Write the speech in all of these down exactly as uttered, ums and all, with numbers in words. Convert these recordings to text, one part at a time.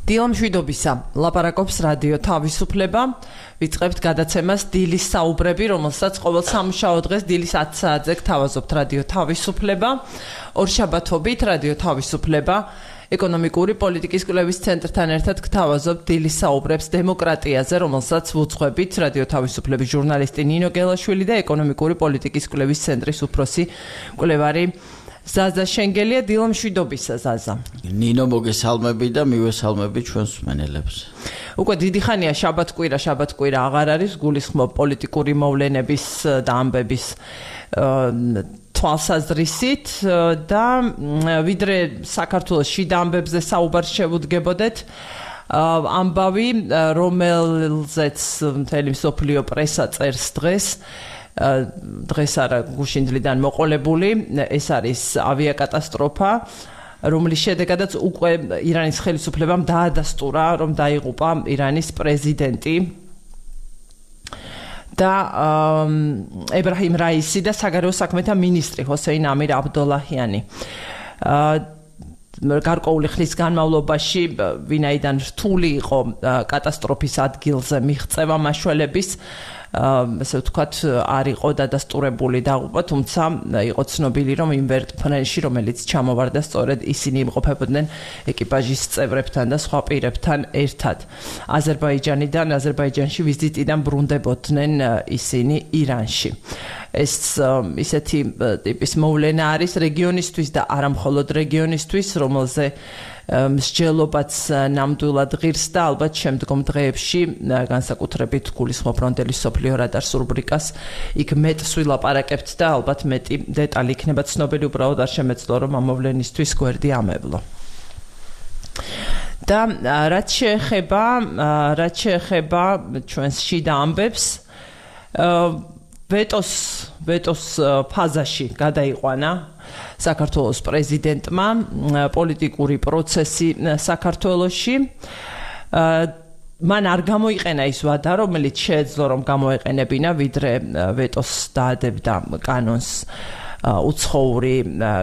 დილამშვიდობისა, ლაპარაკობს რადიო თავისუფლება. ვიწყებთ გადაცემას დილის საუბრები, რომელსაც ყოველ სამუშაო დღეს დილის ათი საათზე გთავაზობთ რადიო თავისუფლება. ორშაბათობით რადიო თავისუფლება ეკონომიკური პოლიტიკის კვლევის ცენტრთან ერთად გთავაზობთ დილის საუბრებს დემოკრატიაზე, რომელსაც ვუძღვებით რადიო თავისუფლების ჟურნალისტი ნინო გელაშვილი და ეკონომიკური პოლიტიკის კვლევის ცენტრის უფროსი კვლევარი ზაზა შენგელია. დილამშვიდობისა ზაზა. ნინო მოგესალმები და მივესალმები ჩვენს მსმენელებს. უკვე დიდი ხანია შაბათ-კვირა, შაბათ-კვირა აღარ არის, გულისხმობ პოლიტიკური მოვლენების და ამბების თვალსაზრისით და ვიდრე საქართველოს შიდა ამბებზე საუბარს შევუდგებოდეთ, ამბავი, რომელზეც მთელი მსოფლიო პრესა წერს დღეს, დღეს არა გუშინდლიდან მოყოლებული, ეს არის ავიაკატასტროფა, რომლის შედეგადაც უკვე ირანის ხელისუფლებამ დაადასტურა, რომ დაიღუპა ირანის პრეზიდენტი და ებრაჰიმ რაისი და საგარეო საქმეთა მინისტრი ჰოსეინ ამირ აბდოლაჰიანი. გარკვეული ხნის განმავლობაში, ვინაიდან რთული იყო კატასტროფის ადგილზე მიღწევა მაშველების, ასე ვთქვათ, არ იყო დადასტურებული დაღუპვა, თუმცა იყო ცნობილი, რომ იმ ვერტმფრენში, რომელიც ჩამოვარდა, სწორედ ისინი იმყოფებოდნენ ეკიპაჟის წევრებთან და სხვა პირებთან ერთად. აზერბაიჯანიდან, აზერბაიჯანში ვიზიტიდან ბრუნდებოდნენ ისინი ირანში. ეს ისეთი ტიპის მოვლენა არის რეგიონისთვის და არა მხოლოდ რეგიონისთვის, რომელზე მსჯელობაც ნამდვილად ღირს და ალბათ შემდგომ დღეებში განსაკუთრებით გულისხმობ ფრონტელის სოფლიო რადარს რუბრიკას იქ მეტს ვილაპარაკებთ და ალბათ მეტი დეტალი იქნება ცნობილი, უბრალოდ არ შემეძლო რომ ამ მოვლენისთვის გვერდი ამევლო. და რაც შეეხება რაც შეეხება ჩვენს შიდა ამბებს, ვეტოს ვეტოს ფაზაში გადაიყვანა საქართველოს პრეზიდენტმა პოლიტიკური პროცესი საქართველოში. მან არ გამოიყენა ის ვადა, რომელიც შეეძლო რომ გამოეყენებინა, ვიდრე ვეტოს დაადებდა კანონს უცხოური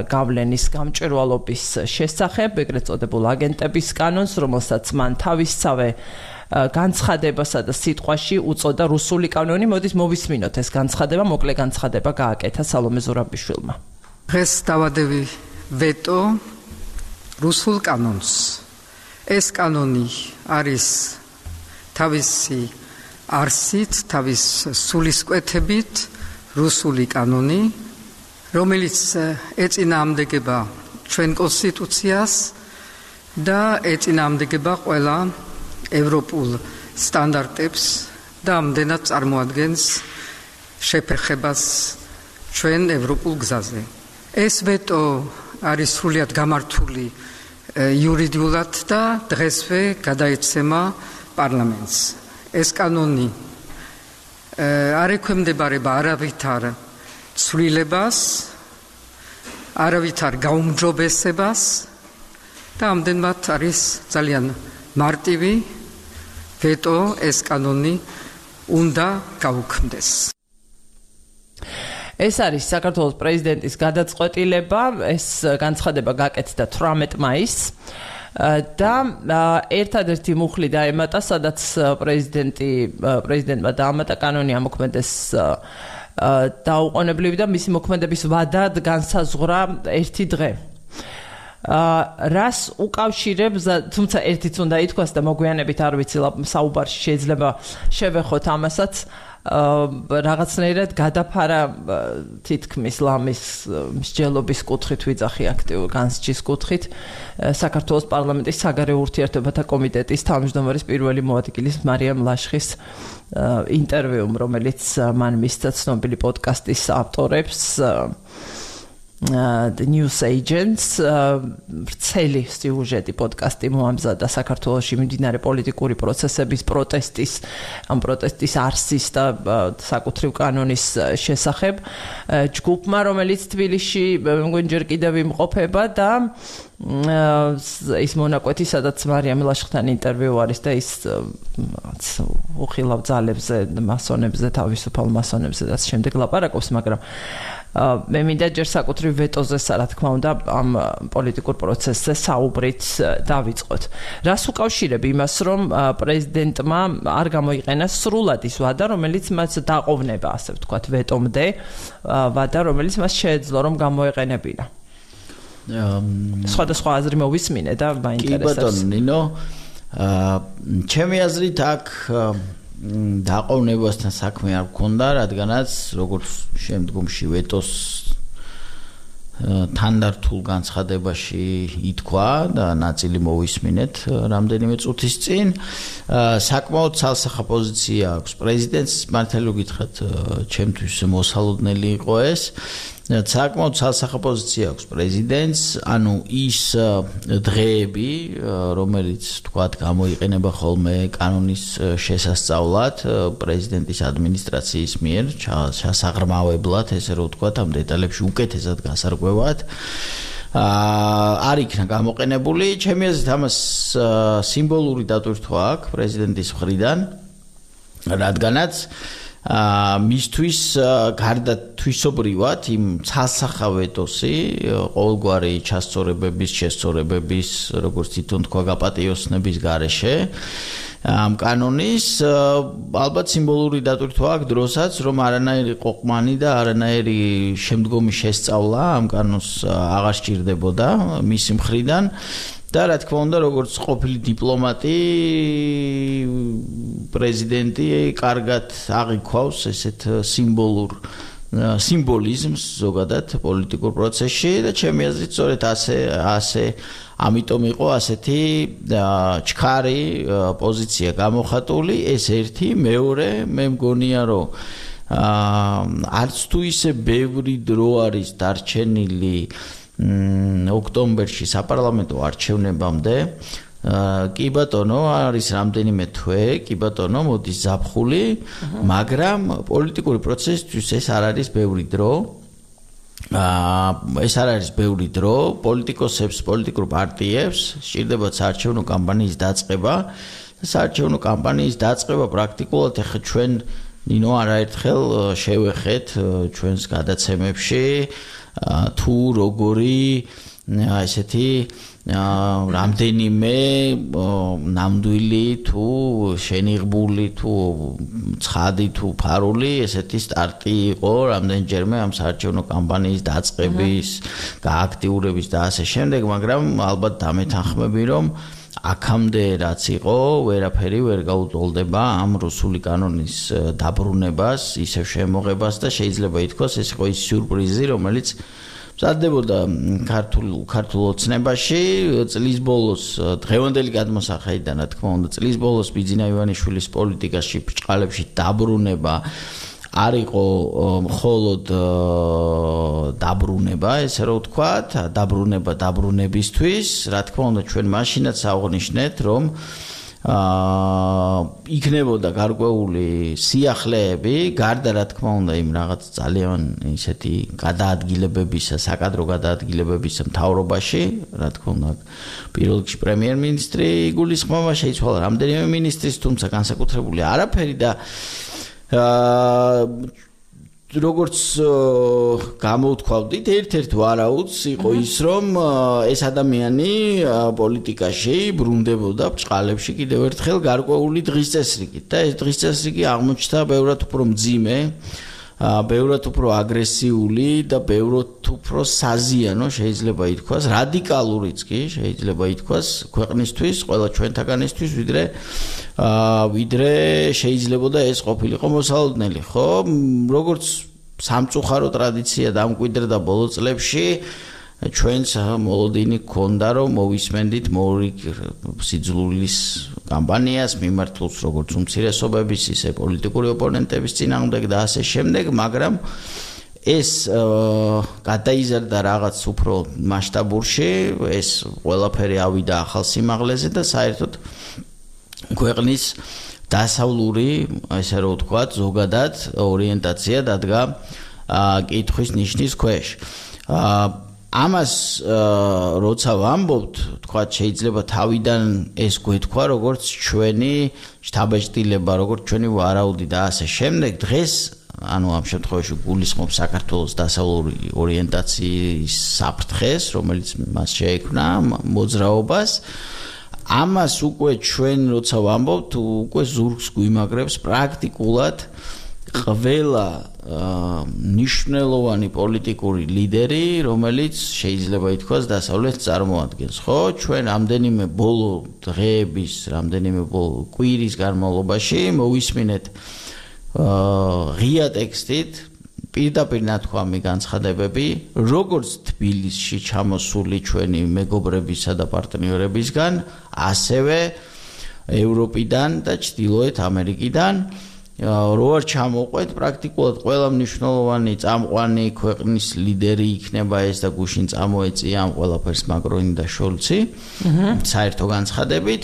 გავლენის გამჭვირვალობის შესახებ, ეგრეთ წოდებულ აგენტების კანონს, რომელსაც მან თავისსავე განცხადებასა და სიტყვაში უწოდა რუსული კანონი. მოდით მოვისმინოთ ეს განცხადება, მოკლე განცხადება გააკეთა სალომე ზურაბიშვილმა. დღეს დავადევი ვეტო რუსულ კანონს. ეს კანონი არის თავისი არსით, თავის სულისკვეთებით რუსული კანონი, რომელიც ეწინააღმდეგება ჩვენ კონსტიტუციას და ეწინააღმდეგება ყველა ევროპულ სტანდარტებს და ამდენად წარმოადგენს შეფერხებას ჩვენ ევროპულ გზაზე. ეს ვეტო არის სრულიად გამართული იურიდიულად და დღესვე გადაეცემა პარლამენტს. ეს კანონი არ ექვემდებარება არავითარ ცვლილებას, არავითარ გაუმჯობესებას და ამდენად არის ძალიან მარტივი ვეტო, ეს კანონი უნდა გაუქმდეს. ეს არის საქართველოს პრეზიდენტის გადაწყვეტილება, ეს განცხადება გაკეთდა თვრამეტ მაისს და ერთადერთი მუხლი დაემატა, სადაც პრეზიდენტი პრეზიდენტმა დაამატა კანონი ამოქმედეს დაუყოვნებლივი და მისი მოქმედების ვადად განსაზღვრა ერთი დღე. რას უკავშირებს, თუმცა ერთიც უნდა ითქვას და მოგვიანებით არ ვიცი საუბარში შეიძლება შევეხოთ ამასაც, რაღაცნაირად გადაფარა თითქმის ლამის მსჯელობის კუთხით, ვიძახი აქტიურ განსჯის კუთხით საქართველოს პარლამენტის საგარეო ურთიერთობათა კომიტეტის თავმჯდომარის პირველი მოადგილის მარიამ ლაშხის ინტერვიუმ, რომელიც მან მისცა ცნობილი პოდკასტის ავტორებს The News Agents, ვრცელი სიუჟეტი პოდკასტი მოამზადა საქართველოში მიმდინარე პოლიტიკური პროცესების პროტესტის, ამ პროტესტის არსის და საკუთრივ კანონის შესახებ ჯგუფმა, რომელიც თბილისში მგონი ჯერ კიდევ იმყოფება და ის მონაკვეთი, სადაც მარიამ ლაშხთან ინტერვიუ არის და ის უხილავ ძალებზე, მასონებზე, თავისუფალ მასონებზე და შემდეგ ლაპარაკობს, მაგრამ მე მინდა ჯერ საკუთრივ ვეტოზე, რა თქმა უნდა, ამ პოლიტიკურ პროცესზე საუბრით დავიწყოთ. რას უკავშირებ იმას, რომ პრეზიდენტმა არ გამოიყენა სრულად ის ვადა, რომელიც მას დაყოვნება, ასე ვთქვათ, ვეტომდე, ვადა, რომელიც მას შეეძლო, რომ გამოეყენებინა. სხვადასხვა აზრი მოვისმინე და მაინტერესებს. კი ბატონო ნინო, ჩემი აზრით აქ დაყოვნებასთან საქმე არ გქონდა, რადგანაც როგორც შემდგომში ვეტოს თანდართულ განცხადებაში ითქვა და ნაწილი მოვისმინეთ რამდენიმე წუთის წინ, საკმაოდ ცალსახა პოზიცია აქვს პრეზიდენტს, მართალი გითხრათ, ჩემთვის მოსალოდნელი იყო ეს. საკმაოდ ცალსახა პოზიცია აქვს პრეზიდენტს, ანუ ის დღეები, რომელიც თქვათ გამოიყენება ხოლმე კანონის შესასწავლად პრეზიდენტის ადმინისტრაციის მიერ, ჩასაღრმავებლად, ესე რომ ვთქვათ, ამ დეტალებში უკეთესად გასარკვევად, არ იქნა გამოყენებული. ჩემი აზრით ამას სიმბოლური დატვირთვა აქვს პრეზიდენტის მხრიდან, რადგანაც მისთვის გარდა თვისობრივად იმ ცალსახა ვეტოსი, ყოველგვარი ჩასწორებების, შესწორებების, როგორც თვითონ თქვა, გაპატიოსნების გარეშე ამ კანონის ალბათ სიმბოლური დატვირთვა აქვს დროსაც, რომ არანაირი ყოყმანი და არანაირი შემდგომი შესწავლა ამ კანონს აღარ სჭირდებოდა მისი მხრიდან. და რა თქმა უნდა, როგორც ყოფილი დიპლომატი, პრეზიდენტი კარგად აღიქვავს ესეთ სიმბოლურ სიმბოლიზმს ზოგადად პოლიტიკურ პროცესში და ჩემი აზრით სწორედ ასე ასე ამიტომ იყო ასეთი ჩქარი პოზიცია გამოხატული. ეს ერთი, მეორე, მე მგონია, რომ არც თუ ისე ბევრი დრო არის დარჩენილი ოქტომბერში საპარლამენტო არჩევნებამდე, კი ბატონო, არის რამდენიმე თვე, კი ბატონო, მოდის ზაფხული, მაგრამ პოლიტიკური პროცესისთვის ეს არ არის ბევრი დრო. ეს არ არის ბევრი დრო, პოლიტიკოსებს, პოლიტიკურ პარტიებს სჭირდებათ საარჩევნო კამპანიის დაწყება. საარჩევნო კამპანიის დაწყება პრაქტიკულად ახლა ჩვენ ნინო არაერთხელ შევეხეთ ჩვენს გადაცემებში თუ როგორი ესეთი რამდენიმე ნამდვილი თუ შენიღბული თუ ცხადი თუ ფარული ესეთი სტარტი იყო რამდენჯერმე ამ საარჩევნო კამპანიის დაწყების, გააქტიურების და ასე შემდეგ, მაგრამ ალბათ დამეთანხმები, რომ აქამდე რაც იყო, ვერაფერი ვერ გაუტოლდება ამ რუსული კანონის დაბრუნებას, ისევ შემოღებას და შეიძლება ითქვას, ეს იყო ის სიურპრიზი, რომელიც მზადდებოდა ქართულ ქართულ ოცნებაში წლის ბოლოს დღევანდელი გადმოსახედიდან, რა თქმა უნდა, წლის ბოლოს ბიძინა ივანიშვილის პოლიტიკაში ბრჭყალებში დაბრუნება არ იყო მხოლოდ დაბრუნება, ესე რომ ვთქვათ, დაბრუნება დაბრუნებისთვის, რა თქმა უნდა, ჩვენ მაშინაც აღნიშნეთ, რომ იქნებოდა გარკვეული სიახლეები, გარდა რა თქმა უნდა იმ რაღაც ძალიან ისეთი გადაადგილებებისა, საკადრო გადაადგილებებისა მთავრობაში, რა თქმა უნდა, პირველ რიგში პრემიერ-მინისტრი იგულისხმება, შეიცვალა რამდენიმე მინისტრის, თუმცა განსაკუთრებული არაფერი და როგორც გამოვთქვავდით, ერთ-ერთ ვარაუდს იყო ის, რომ ეს ადამიანი პოლიტიკაში ბრუნდებოდა ბრჭყალებში კიდევ ერთხელ გარკვეული დღის წესრიგით და ეს დღის წესრიგი აღმოჩნდა ბევრად უფრო მძიმე, ბევრად უფრო აგრესიული და ბევრად უფრო საზიანო შეიძლება ითქვას, რადიკალურიც კი შეიძლება ითქვას ქვეყნისთვის, ყველა ჩვენთაგანისთვის, ვიდრე ვიდრე შეიძლებოდა ეს ყოფილიყო მოსალოდნელი, ხო? როგორც სამწუხარო ტრადიცია დამკვიდრდა ბოლო წლებში, ჩვენს მოლოდინი გქონდა, რომ მოვისმენდით მორიგ სიძულვილის კამპანიას მიმართულს, როგორც უმცირესობების, ისე პოლიტიკური ოპონენტების წინააღმდეგ და ასე შემდეგ, მაგრამ ეს გადაიზარდა რაღაც უფრო მასშტაბურში, ეს ყველაფერი ავიდა ახალ სიმაღლეზე და საერთოდ ქვეყნის დასავლური, ესე რომ ვთქვათ, ზოგადად ორიენტაცია დადგა კითხვის ნიშნის ქვეშ. ამას როცა ვამბობთ, თქვათ, შეიძლება თავიდან ეს გვეთქვა, როგორც ჩვენი შთაბეჭდილება, როგორც ჩვენი ვარაუდი და ასე შემდეგ. დღეს ანუ ამ შემთხვევაში გულისხმობს საქართველოს დასავლური ორიენტაციის საფრთხეს, რომელიც მას შეექმნა მოძრაობას. ამას უკვე ჩვენ როცა ვამბობთ, უკვე ზურგს გვიმაგრებს პრაქტიკულად ყველა ნიშნულოვანი პოლიტიკური ლიდერი, რომელიც შეიძლება ითქვას დასავლეთს წარმოადგენს, ხო? ჩვენ ამდენიმე ბოლო დღეების, რამდენიმე ბოლო კვირის განმავლობაში მოვისმინეთ ღია ტექსტით პირდაპირ ნათქვამი განცხადებები, როგორც თბილისში ჩამოსული ჩვენი მეგობრებისა და პარტნიორებისგან, ასევე ევროპიდან და ჩრდილოეთ ამერიკიდან. რო არ ჩამოყვეთ პრაქტიკულად ყველა მნიშვნელოვანი წამყვანი ქვეყნის ლიდერი იქნება ეს და გუშინ წამოეწია ამ ყველაფერს მაკრონი და შოლცი საერთო განცხადებით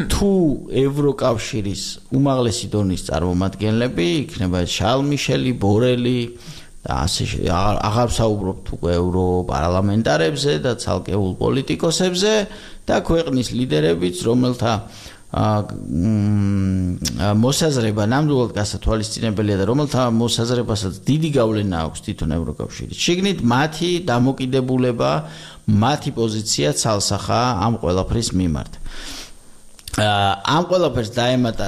თუ ევროკავშირის უმაღლესი დონის წარმომადგენლები იქნება შარლ მიშელი, ბორელი და ასე აღარ ვსაუბრობთ უკვე ევროპარლამენტარებზე და ცალკეულ პოლიტიკოსებზე და ქვეყნის ლიდერებიც რომელთა მოსაზრება ნამდვილად გასათვალისწინებელია და რომელთა მოსაზრებასაც დიდი გავლენა აქვს თვითონ ევროკავშირის შიგნით მათი დამოკიდებულება, მათი პოზიცია ცალსახაა ამ ყველაფრის მიმართ. ამ ყველაფერს დაემატა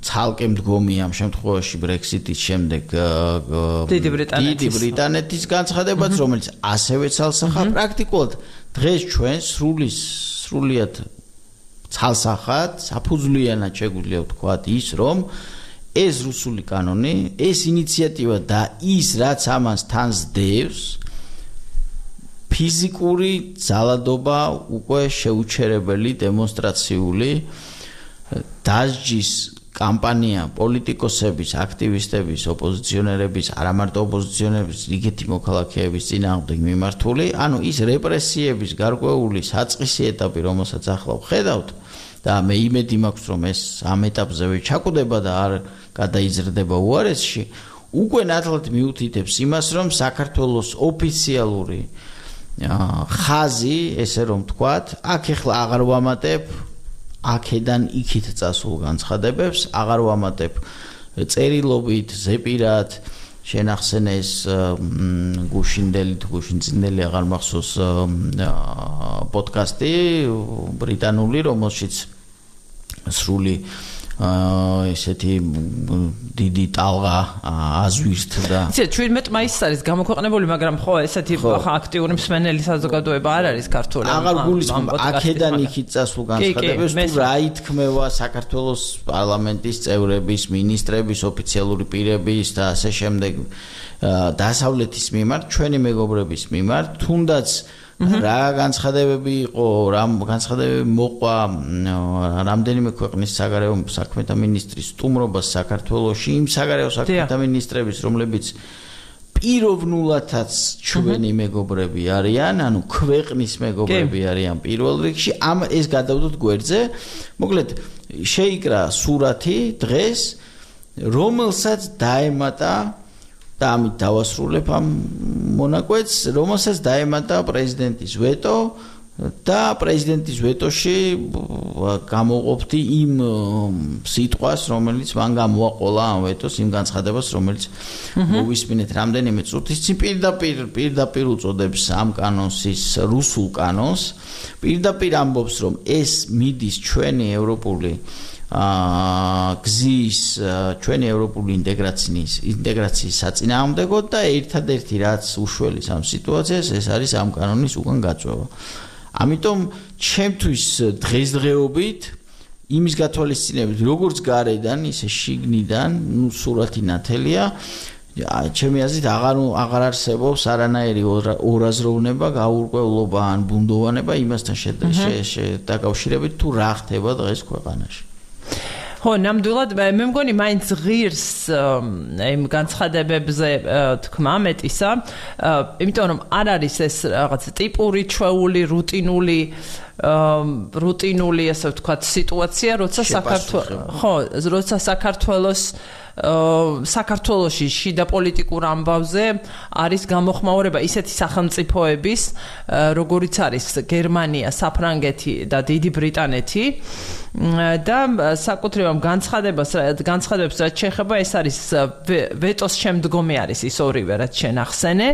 ცალკე მდგომი ამ შემთხვევაში ბრექსიტის შემდეგ დიდი ბრიტანეთის განცხადებაც, რომელიც ასევე ცალსახაა. პრაქტიკულად დღეს ჩვენ სრული სრულიად ცალსახად, საფუძვლიანად შეგვიძლია ვთქვათ ის, რომ ეს რუსული კანონი, ეს ინიციატივა და ის, რაც ამას თან სდევს, ფიზიკური ძალადობა უკვე შეუჩერებელი დემონსტრაციული დასჯის კამპანია პოლიტიკოსების, აქტივისტების, ოპოზიციონერების, არა მარტო ოპოზიციონერების, რიგეთი მოქალაქეების წინააღმდეგ მიმართული, ანუ ის რეპრესიების გარკვეული საწყისი ეტაპი, რომელსაც ახლა ვხედავთ და მე იმედი მაქვს, რომ ეს ამ ეტაპზევე ჩაკვდება და არ გადაიზრდება უარესში, უკვე ნათლად მიუთითებს იმას, რომ საქართველოს ოფიციალური ხაზი, ესე რომ ვთქვათ, აქ ახლა აღარ ვამატებ აქედან იქით წასულ განცხადებებს, აღარ ვამატებ წერილობით, ზეპირად, შენახსენეს გუშინდელი თუ გუშინწინდელი აღარ მახსოვს პოდკასტი ბრიტანული, რომელშიც სრული ესეთი დიდი ტალღა აზვირთდა. იცი, შვიდმეტ მაისს არის გამოქვეყნებული, მაგრამ ხო, ესეთი აქტიური მსმენელი საზოგადოება არ არის ქართული. აღარ გულისხმობ აქედან იქით წასულ განცხადებებს, თუ რა ითქმევა საქართველოს პარლამენტის წევრების, მინისტრების, ოფიციალური პირების და ასე შემდეგ დასავლეთის მიმართ, ჩვენი მეგობრების მიმართ, თუნდაც რა განცხადებები იყო, რა განცხადებები მოყვა რამდენიმე ქვეყნის საგარეო საქმეთა მინისტრის სტუმრობას საქართველოში, იმ საგარეო საქმეთა მინისტრების, რომლებიც პიროვნულადაც ჩვენი მეგობრები არიან, ანუ ქვეყნის მეგობრები არიან პირველ რიგში, ამ ეს გადავდოთ გვერდზე. მოკლედ, შეიკრა სურათი დღეს, რომელსაც დაემატა და ამით დავასრულებ ამ მონაკვეთს, რომელსაც დაემატა პრეზიდენტის ვეტო და პრეზიდენტის ვეტოში გამოყოფდი იმ სიტყვას, რომელიც მან გამოაყოლა ამ ვეტოს, იმ განცხადებას, რომელიც მოვისმინეთ რამდენიმე წუთის წინ პირდაპირ პირდაპირ უწოდებს ამ კანონს ის რუსულ კანონს, პირდაპირ ამბობს, რომ ეს მიდის ჩვენი ევროპული გზის ჩვენი ევროპული ინტეგრაციის ინტეგრაციის საწინააღმდეგოდ და ერთადერთი რაც უშველის ამ სიტუაციას ეს არის ამ კანონის უკან გაწვევა. ამიტომ ჩემთვის დღესდღეობით იმის გათვალისწინებით როგორც გარედან ისე შიგნიდან, ნუ სურათი ნათელია, ჩემი აზრით აღარ აღარ არსებობს არანაირი ორაზროვნება, გაურკვევლობა ან ბუნდოვანება იმასთან შედაკავშირებით თუ რა ხდება დღეს ქვეყანაში. ხო, ნამდვილად მე მგონი მაინც ღირს იმ განცხადებებზე თქმა მეტისა, იმიტომ რომ არ არის ეს რაღაც ტიპური, ჩვეული, რუტინული რუტინული, ასე ვთქვათ, სიტუაცია, როცა საქართველოს ხო, როცა საქართველოს საქართველოში შიდა პოლიტიკურ ამბავზე არის გამოხმაურება ისეთი სახელმწიფოების, როგორიც არის გერმანია, საფრანგეთი და დიდი ბრიტანეთი და საკუთრივ განცხადებას განცხადებს რაც შეეხება ეს არის ვეტოს შემდგომი არის ის ორივე რაც შენ ახსენე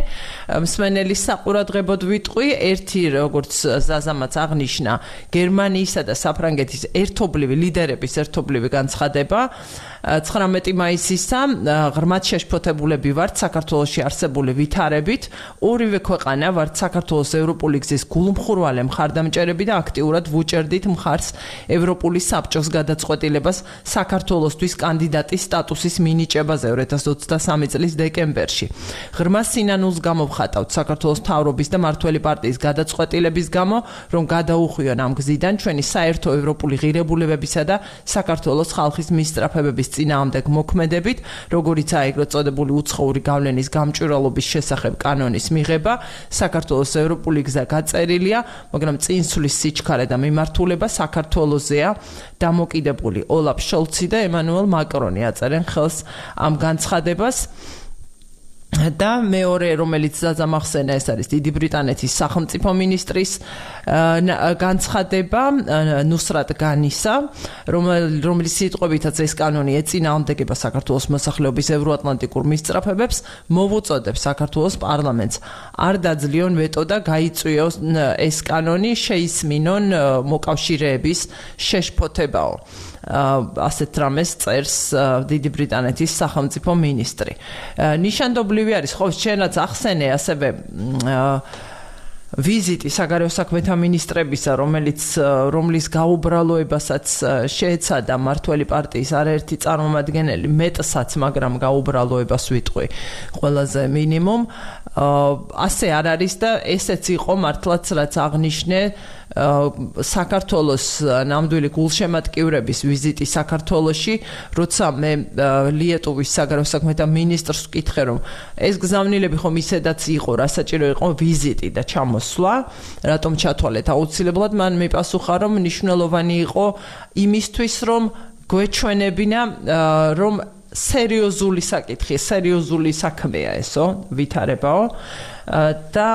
მსმენელის საყურადღებოდ ვიტყვი ერთი როგორც ზაზამაც აღნიშნა გერმანიისა და საფრანგეთის ერთობლივი ლიდერების ერთობლივი განცხადება ცხრამეტი მაისისა ღრმად შეშფოთებულები ვართ საქართველოში არსებული ვითარებით ორივე ქვეყანა ვართ საქართველოს ევროპული გზის გულმხურვალე მხარდამჭერები და აქტიურად ვუჭერდით მხარს ევროპული საბჭოს გადაწყვეტილებას საქართველოსთვის კანდიდატის სტატუსის მინიჭებაზე ორი ათას ოცდასამი წლის დეკემბერში ღრმა სინანულს გამოვხატავთ საქართველოს მთავრობის და მართველი პარტიის გადაწყვეტილების გამო რომ გადაუხვიონ ამ გზიდან ჩვენი საერთო ევროპული ღირებულებებისა და საქართველოს ხალხის მისწრაფებების წინააღმდეგ მოქმედებით, როგორიც აიგროთ წოდებული უცხოური გავლენის გამჭვირვალობის შესახებ კანონის მიღება, საქართველოს ევროპული გზა გაწერილია, მაგრამ წინსვლის სიჩქარე და მიმართულება საქართველოსზეა დამოკიდებული. ოლაფ შოლცი და ემანუელ მაკრონი აწერენ ხელს ამ განცხადებას. და მეორე რომელიც ზაზამახსენა ეს არის დიდი ბრიტანეთის სახელმწიფო მინისტრის განცხადება ნუსრატ განისა რომელიც სიტყვებითაც ეს კანონი ეწინააღმდეგება საქართველოს მოსახლეობის ევროატლანტიკურ მისწრაფებებს მოვუწოდებს საქართველოს პარლამენტს არ დაძლიონ ვეტო და გაიწვიოს ეს კანონი შეისმინონ მოკავშირეების შეშფოთებაო ასეთ რამეს წერს დიდი ბრიტანეთის სახელმწიფო მინისტრი. ნიშანდობლივი არის ხო შენაც ახსენე ასევე ვიზიტი საგარეო საქმეთა მინისტრებისა, რომელიც რომლის გაუბრალოებასაც შეეცადა მართველი პარტიის არაერთი წარმომადგენელი, მეტსაც, მაგრამ გაუბრალოებას ვიტყვი ყველაზე მინიმუმ. ასე არ არის და ესეც იყო მართლაც რაც აღნიშნე საქართველოს ნამდვილი გულშემატკივრების ვიზიტი საქართველოში, როცა მე ლიეტუვის საგარეო საქმეთა მინისტრს ვკითხე, რომ ეს გზავნილები ხომ ისედაც იყო, რა საჭირო იყო ვიზიტი და ჩამოსვლა, რატომ ჩათვალეთ აუცილებლად, მან მიპასუხა, რომ მნიშვნელოვანი იყო იმისთვის, რომ გვეჩვენებინა, რომ სერიოზული საკითხი, სერიოზული საქმეა ესო, ვითარებაო და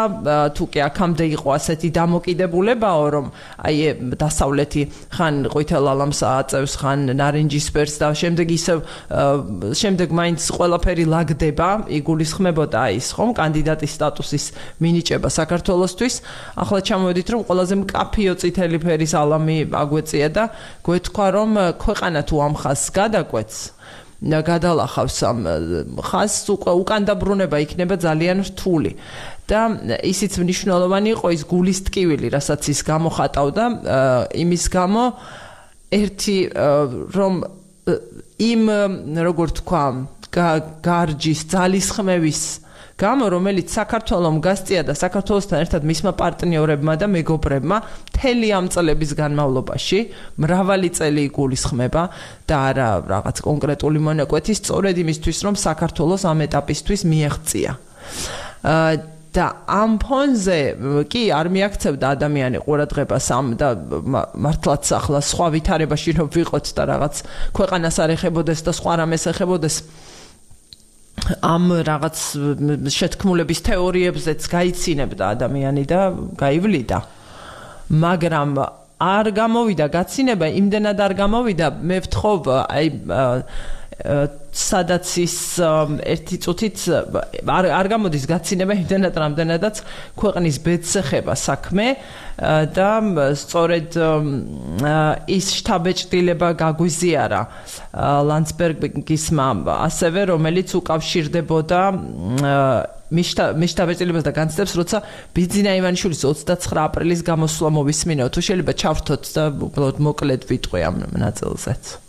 თუ კი აქამდე იყო ასეთი დამოკიდებულებაო, რომ აი დასავლეთი ხან ყვითელ ალამს აწევს, ხან ნარინჯისფერს და შემდეგ ისევ შემდეგ მაინც ყველაფერი ლაგდება, იგულისხმებოდა ის ხომ კანდიდატის სტატუსის მინიჭება საქართველოსთვის. ახლა ჩამოვედით, რომ ყველაზე მკაფიო წითელი ფერის ალამი აგვეწია და გვეთქვა, რომ ქვეყანა თუ ამ ხაზს გადაკვეთს გადალახავს ამ ხაზს უკან დაბრუნება იქნება ძალიან რთული და ისიც მნიშვნელოვანი იყო ის გულის ტკივილი, რასაც ის გამოხატავდა იმის გამო ერთი რომ იმ როგორ თქვა გარჯის ძალისხმევის გამო რომელიც საქართველოს გასწია და საქართველოსთან ერთად მისმა პარტნიორებმა და მეგობრებმა მთელი ამ წლების განმავლობაში მრავალი წელი იგულისხმება და არა რაღაც კონკრეტული მონაკვეთი სწორედ იმისთვის რომ საქართველოს ამ ეტაპისთვის მიაღწია და ამ ფონზე კი არ მიაქცევდა ადამიანი ყურადღებას ამ და მართლაც ახლა სხვა ვითარებაში რომ ვიყოთ და რაღაც ქვეყანას არ ეხებოდეს და სხვა რამეს ეხებოდეს ამ რაღაც შეთქმულების თეორიებზეც გაიცინებდა ადამიანი და გაივლიდა. მაგრამ არ გამოვიდა გაცინება, იმდენად არ გამოვიდა, მე ვთხოვ, აი სადაც ის ერთი წუთით არ არ გამოდის გაცინება იმდენად რამდენადაც ქვეყნის ბედს ეხება საქმე და სწორედ ის შთაბეჭდილება გაგვიზიარა ლანდსბერგისმა ასევე რომელიც უკავშირდებოდა მიშტაბეჭდილებას და განცდებს როცა ბიძინა ივანიშვილის ოცდაცხრა აპრილის გამოსვლა მოვისმინეო თუ შეიძლება ჩავრთოთ და უბრალოდ მოკლედ ვიტყვი ამ ნაწილზეც.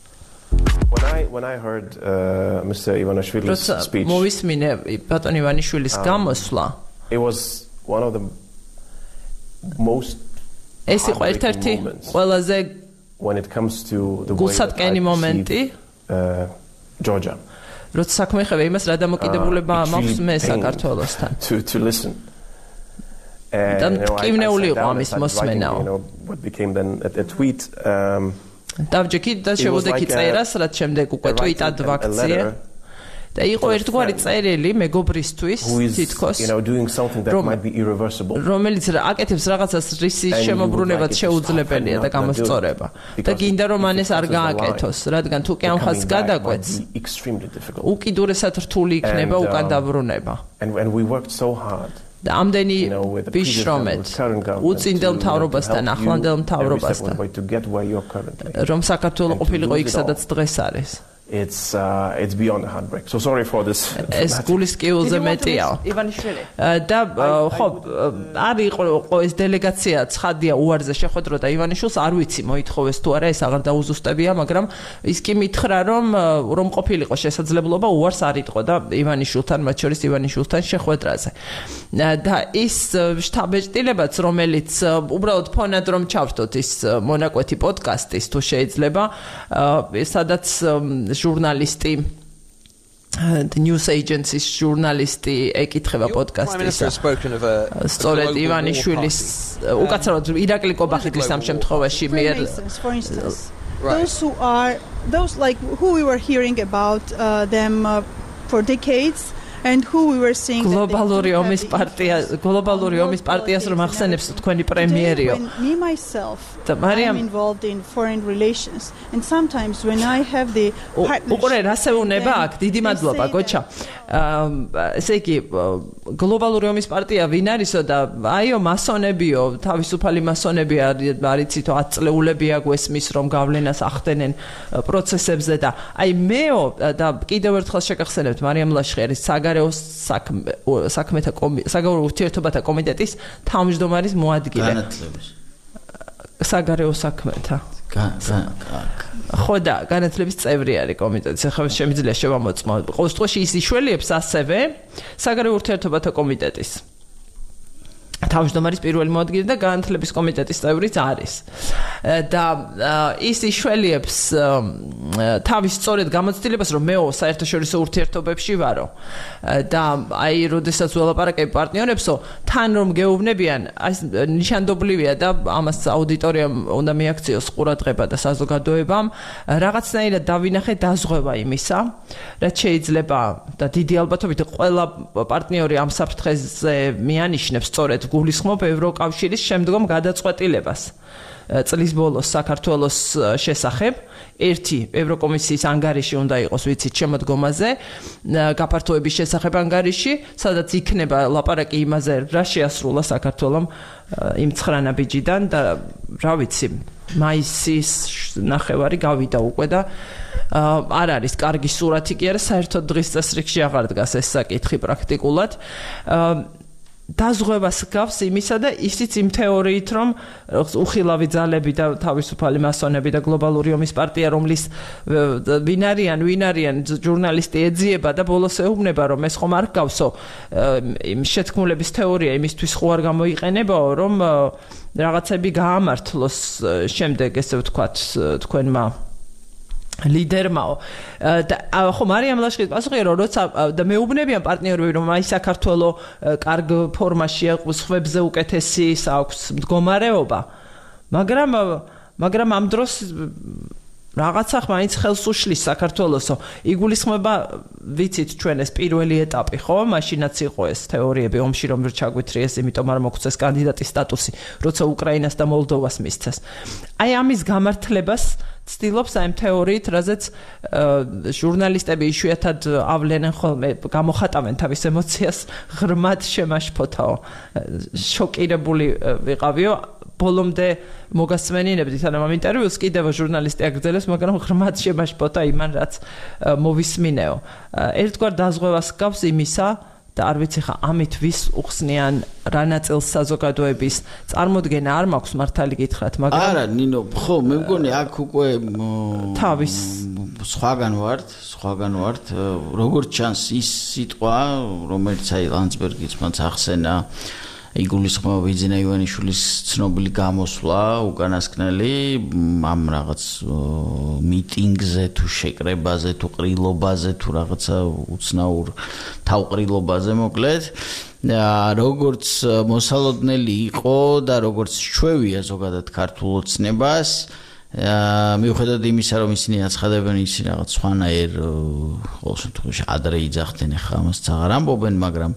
When I when I heard uh, Mister Ivanishvili's speech, მოვისმინე ბატონ ივანიშვილის გამოსვლა. It was one of the most ეს იყო ერთ-ერთი ყველაზე when it comes to the way that I მომენტი uh, Georgia. როცა საქმე ხება იმას რა დამოკიდებულება მაქვს მე საქართველოსთან. To to listen. მტკივნეული იყო ამის მოსმენაო. What became then a tweet um დავჯექი და შევოდექი წერას, რაც შემდეგ უკვე ტვიტად ვაქციე. და იყო ერთგვარი წერილი მეგობრისთვის თითქოს რომელიც აკეთებს რაღაცას რის შემოbrunებად შეუძლებელია და გამოსწორება და გინდა რომ ამას არ გააკეთოს რადგან თუ კი ამ ხაზს გადაკვეთს უკიდურესად რთული იქნება უკან დაბრუნება და ამდენი ვიშრომეთ უწინდელ მთავრობასთან ახლანდელ მთავრობასთან რომ საქართველოს ყოფილიყო იქ სადაც დღეს არის It's uh, it's beyond the heartbreak. So sorry for this. Es gulis kiuze metio. Ivaniშვილი. და ხო არის იყო ეს დელეგაცია ცხადია უარზე შეხვედრო და ივანიშვილს არ ვიცი მოითხოვეს თუ არა ეს აღარ დაუზუსტებია, მაგრამ ის კი მითხრა რომ რომ ყოფილიყო შესაძლებლობა უარს არ იტყო და ივანიშვილთან მათ შორის ივანიშვილთან შეხვედრაზე. და ის შტაბ-ეჭდილებაც რომელიც უბრალოდ ფონად რომ ჩავთოთ ის მონაკვეთი პოდკასტის თუ შეიძლება სადაც ჟურნალისტი the news agencies ჟურნალისტი ეკითხება პოდკასტის სწორედ ივანიშვილის უკაცრავად ირაკლი კობახიძის ამ შემთხვევაში მიერ those who are those like who we were hearing about uh, them uh, for decades and who we were seeing globალური ომის პარტია globალური ომის პარტიას რომ ახსენებს თქვენი პრემიერიო me myself I'm involved in foreign relations and sometimes when I have the უყურე რასეუნება აქ დიდი მადლობა გოჩა ესე იგი globალური ომის პარტია ვინ არისო და აიო მასონებიო თავისუფალი მასონები არიცითო ათ წლეულებია გვესმის რომ გავლენას ახდენენ პროცესებზე და აი მეო და კიდევ ერთხელ შეგახსენებთ მარიამ ლაშხერის საგარეო საქმეთა საგარეო ურთიერთობათა კომიტეტის თავმჯდომარის მოადგილე განათლების საგარეო საქმეთა ხო და განათლების წევრი არის კომიტეტის ახლა შემიძლია შევამოწმო ყოველ შემთხვევაში ის იშველიებს ასევე საგარეო ურთიერთობათა კომიტეტის თავმჯდომარის პირველი მოადგილე და განათლების კომიტეტის წევრიც არის და ის იშველიებს თავის სწორედ გამოცდილებას რომ მეო საერთაშორისო ურთიერთობებში ვარო და აი როდესაც ველაპარაკებ პარტნიორებსო თან რომ გეუბნებიან აი ნიშანდობლივია და ამას აუდიტორიამ უნდა მიაქციოს ყურადღება და საზოგადოებამ რაღაცნაირად დავინახე დაზღვევა იმისა რაც შეიძლება და დიდი ალბათობით ყველა პარტნიორი ამ საფრთხეზე მიანიშნებს სწორედ გულისხმობ ევროკავშირის შემდგომ გადაწყვეტილებას წლის ბოლოს საქართველოს შესახებ ერთი ევროკომისიის ანგარიში უნდა იყოს ვიცით შემოდგომაზე გაფართოების შესახებ ანგარიში სადაც იქნება ლაპარაკი იმაზე რა შეასრულა საქართველომ იმ ცხრანა ბიჯიდან და რა ვიცი მაისის ნახევარი გავიდა უკვე და არ არის კარგი სურათი კი არა საერთოდ დღის წესრიგში აღარ დგას ეს საკითხი პრაქტიკულად დაზღვევას გავს იმისა და ისიც იმ თეორიით რომ უხილავი ძალები და თავისუფალი მასონები და გლობალური ომის პარტია რომლის ვინ არიან ვინ არიან ჟურნალისტი ეძიება და ბოლოს ეუბნება რომ ეს ხომ არ გავსო იმ შეთქმულების თეორია იმისთვის ხო არ გამოიყენებაო რომ რაღაცები გაამართლოს შემდეგ ესე ვთქვათ თქვენმა ლიდერმაო და ხო მარიამ ლაშხერის პასუხია რომ როცა და მეუბნებიან პარტნიორები რომ აი საქართველოს კარგ ფორმაშია სხვებზე უკეთესი აქვს მდგომარეობა მაგრამ მაგრამ ამ დროს რაღაცა მაინც ხელს უშლის საქართველოსო იგულისხმება ვიცით ჩვენ ეს პირველი ეტაპი ხო მაშინაც იყო ეს თეორიები ომში რომ ჩაგვითრიეს იმიტომ არ მოგვცეს კანდიდატის სტატუსი როცა უკრაინას და მოლდოვას მისცეს აი ამის გამართლებას ცდილობს აი ამ თეორიით რაზეც ჟურნალისტები იშვიათად ავლენენ ხოლმე გამოხატავენ თავის ემოციას ღრმად შემაშფოთაო შოკირებული ვიყავიო ბოლომდე მოგასმენინებდით ანუ ამ ინტერვიუს კიდევ ჟურნალისტი აგრძელებს მაგრამ ღრმად შემაშფოთა იმან რაც მოვისმინეო ერთგვარ დაზღვევას გავს იმისა და არ ვიცი ხა ამით ვის უხსნიან რა ნაწილს საზოგადოების წარმოდგენა არ მაქვს მართალი გითხრათ მაგრამ არა ნინო ხო მე მგონი აქ უკვე თავის სხვაგან ვართ სხვაგან ვართ როგორც ჩანს ის სიტყვა რომელიც აი ლანცბერგიც მაც ახსენა იგულისხმება ვიძინა ივანიშვილის ცნობილი გამოსვლა უკანასკნელი ამ რაღაც მიტინგზე თუ შეკრებაზე თუ ყრილობაზე თუ რაღაცა უცნაურ თავყრილობაზე მოკლედ როგორც მოსალოდნელი იყო და როგორც ჩვევია ზოგადად ქართულ ოცნებას მიუხედავად იმისა რომ ისინი აცხადებენ ისინი რაღაც სხვანაირ ყოველ შემთხვევაში ადრე იძახდნენ ახლა ამას აღარ ამბობენ მაგრამ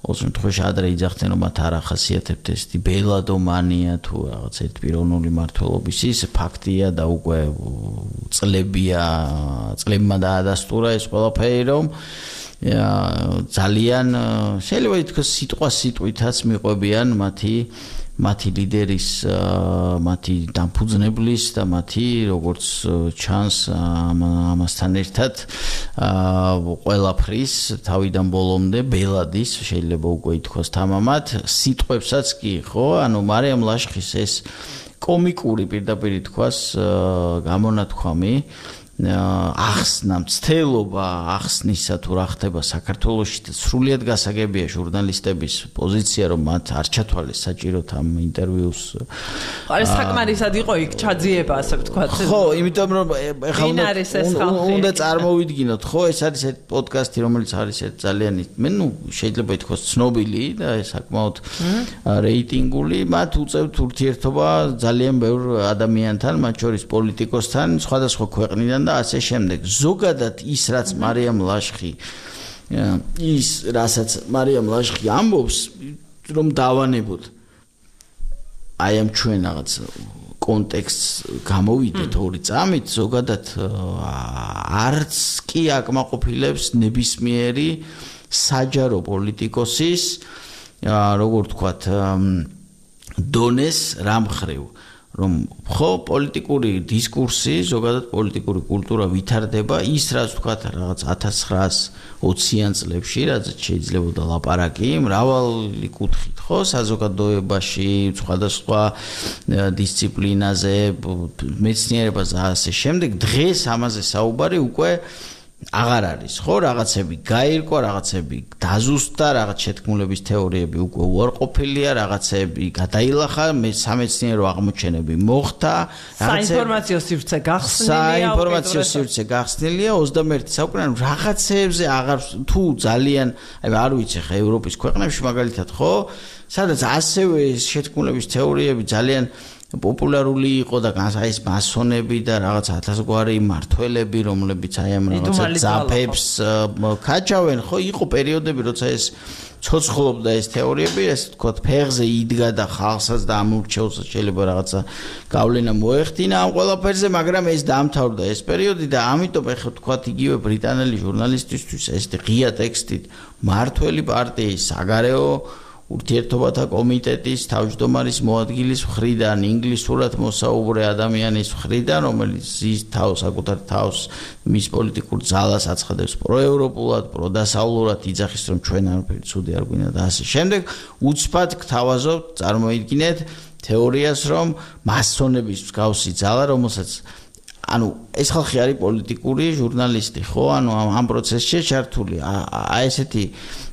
ყოველ შემთხვევაში ადრე იძახდნენ რომ მათ არ ახასიათებთ ეს ბელადომანია თუ რაღაც ერთპიროვნული მართლობის ის ფაქტია და უკვე წლებია წლებმა დაადასტურა ეს ყველაფერი რომ ძალიან შეიძლება ითქვას სიტყვა სიტყვითაც მიყვებიან მათი მათი ლიდერის მათი დამფუძნებლის და მათი როგორც ჩანს ამასთან ერთად ყველაფრის თავიდან ბოლომდე ბელადის შეიძლება უკვე ითქვას თამამად სიტყვებსაც კი ხო ანუ მარიამ ლაშხის ეს კომიკური პირდაპირ ითქვას გამონათქვამი ახსნა მცდელობა ახსნისა თუ რა ხდება საქართველოში და სრულიად გასაგებია ჟურნალისტების პოზიცია რომ მათ არ ჩათვალეს საჭიროდ ამ ინტერვიუს არა საკმარისად იყო იქ ჩაძიება ასე ვთქვათ ხო იმიტომ რომ ეხლა უნდა წარმოვიდგინოთ ხო ეს არის ერთ პოდკასტი რომელიც არის ერთ ძალიან მე ნუ შეიძლება ითქვას ცნობილი და საკმაოდ რეიტინგული მათ უწევთ ურთიერთობა ძალიან ბევრ ადამიანთან მათ შორის პოლიტიკოსთან სხვადასხვა ქვეყნიდან და ასე შემდეგ. ზოგადად ის რაც მარიამ ლაშხი ის რასაც მარიამ ლაშხი ამბობს რომ დავანებოთ აი ამ ჩვენ რაღაც კონტექსტს გამოვიდეთ ორი წამით ზოგადად არც კი აკმაყოფილებს ნებისმიერი საჯარო პოლიტიკოსის როგორ ვთქვათ დონეს რამხრივ რომ ხო პოლიტიკური დისკურსი, ზოგადად პოლიტიკური კულტურა ვითარდება ის რაც ვთქვათ რაღაც ათას ცხრაას ოციან წლებში, რაც შეიძლებოდა ლაპარაკი მრავალი კუთხით, ხო, საზოგადოებაში, სხვადასხვა დისციპლინაზე, მეცნიერებაზე და ასე შემდეგ, დღეს ამაზე საუბარი უკვე აღარ არის, ხო, რაღაცები გაირკვა, რაღაცები დაზუსტდა, რაღაც შეთქმულების თეორიები უკვე უარყოფილია, რაღაცები გადაილახა, სამეცნიერო აღმოჩენები მოხდა, საინფორმაციო სივრცე გახსნილია, საინფორმაციო სივრცე გახსნილია ოცდამეერთე საუკუნეში, რაღაცებზე აღარ თუ ძალიან, აი არ ვიცი ხა ევროპის ქვეყნებში მაგალითად, ხო, სადაც ასევე შეთქმულების თეორიები ძალიან პოპულარული იყო და ეს მასონები და რაღაც ათასგვარი მართველები რომლებიც აი ამ რაღაცა ძაფებს ქაჩავენ ხო იყო პერიოდები როცა ეს ცოცხლობდა ეს თეორიები ეს თქო ფეხზე იდგა და ხალხსაც და ამურჩევს შეიძლება რაღაცა გავლენა მოეხდინა ამ ყველაფერზე მაგრამ ეს დაამთავრდა ეს პერიოდი და ამიტომ ეხლა თქო იგივე ბრიტანელი ჟურნალისტისთვის ეს ღია ტექსტით მართველი პარტიის საგარეო ურთიერთობათა კომიტეტის თავმჯდომარის მოადგილის მხრიდან ინგლისურად მოსაუბრე ადამიანის მხრიდან რომელიც ის თავს საკუთარ თავს მის პოლიტიკურ ძალას აცხადებს პროევროპულად პროდასავლურად იძახის რომ ჩვენ არაფერი ცუდი არ გვინდა და ასე შემდეგ უცბად გთავაზობთ წარმოიდგინეთ თეორიას რომ მასონების მსგავსი ძალა რომელსაც ანუ ეს ხალხი არის პოლიტიკური ჟურნალისტი ხო ანუ ამ პროცესში ჩართული აი ესეთი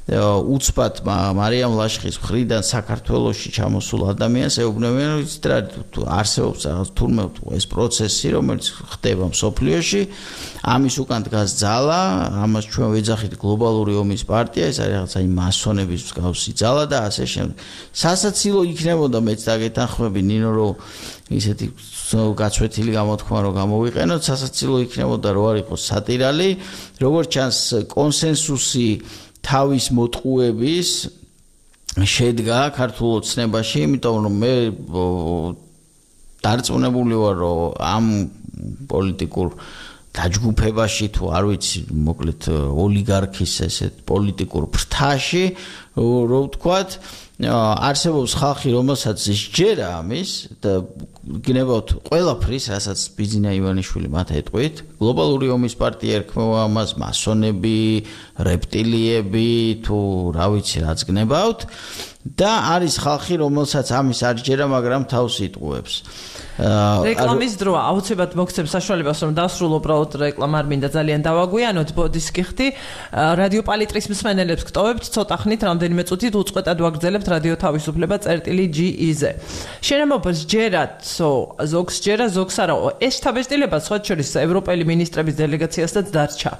უცბად მარიამ ლაშხის მხრიდან საქართველოში ჩამოსულ ადამიანს ეუბნებიან რომ იცით რა არსებობს რაღაც თურმე ეს პროცესი რომელიც ხდება მსოფლიოში ამის უკან დგას ძალა ამას ჩვენ ვეძახით გლობალური ომის პარტია ეს არის რაღაცა იმ მასონების მსგავსი ძალა და ასე შემდეგ სასაცილო იქნებოდა მეც დაგეთანხმები ნინო რომ ისეთი გაცვეთილი გამოთქმა რომ გამოვიყენოთ სასაცილო იქნებოდა რომ არ იყოს სატირალი როგორც ჩანს კონსენსუსი თავის მოტყუების შედგა ქართულ ოცნებაში, იმიტომ რომ მე დარწმუნებული ვარ, რომ ამ პოლიტიკურ დაჯგუფებაში თუ არ ვიცი, მოკლედ ოლიგარქის ესეთ პოლიტიკურ ფრთაში, რო ვთქვათ, არსებობს ხალხი, რომელსაც სჯერა ამის და გნებავთ ყველაფრის, რასაც ბიძინა ივანიშვილი მათ ეტყვით, გლობალური ომის პარტია ერქმევა ამას, მასონები, რეპტილიები თუ რა ვიცი, რაც გნებავთ და არის ხალხი, რომელსაც ამის არ სჯერა, მაგრამ თავს იტყუებს. რეკლამის დროა, აუცილებლად მოგცემ საშუალებას, რომ დავსრულო უბრალოდ რეკლამა არ მინდა ძალიან დავაგვიანოთ, ბოდის კი ხდი. რადიო პალიტრის მსმენელებს გტოვებთ, ცოტა ხნით, რამდენიმე წუთით უწყვეტად ვაგრძელებთ რადიო თავისუფლება წერტილი ჯი ი-ზე. შენამობას ჯერათ, ზოგს ჯერა, ზოგს არა. ეს შთაბეჭდილება სხვა შორის ევროპელი მინისტრების დელეგაციასაც დარჩა,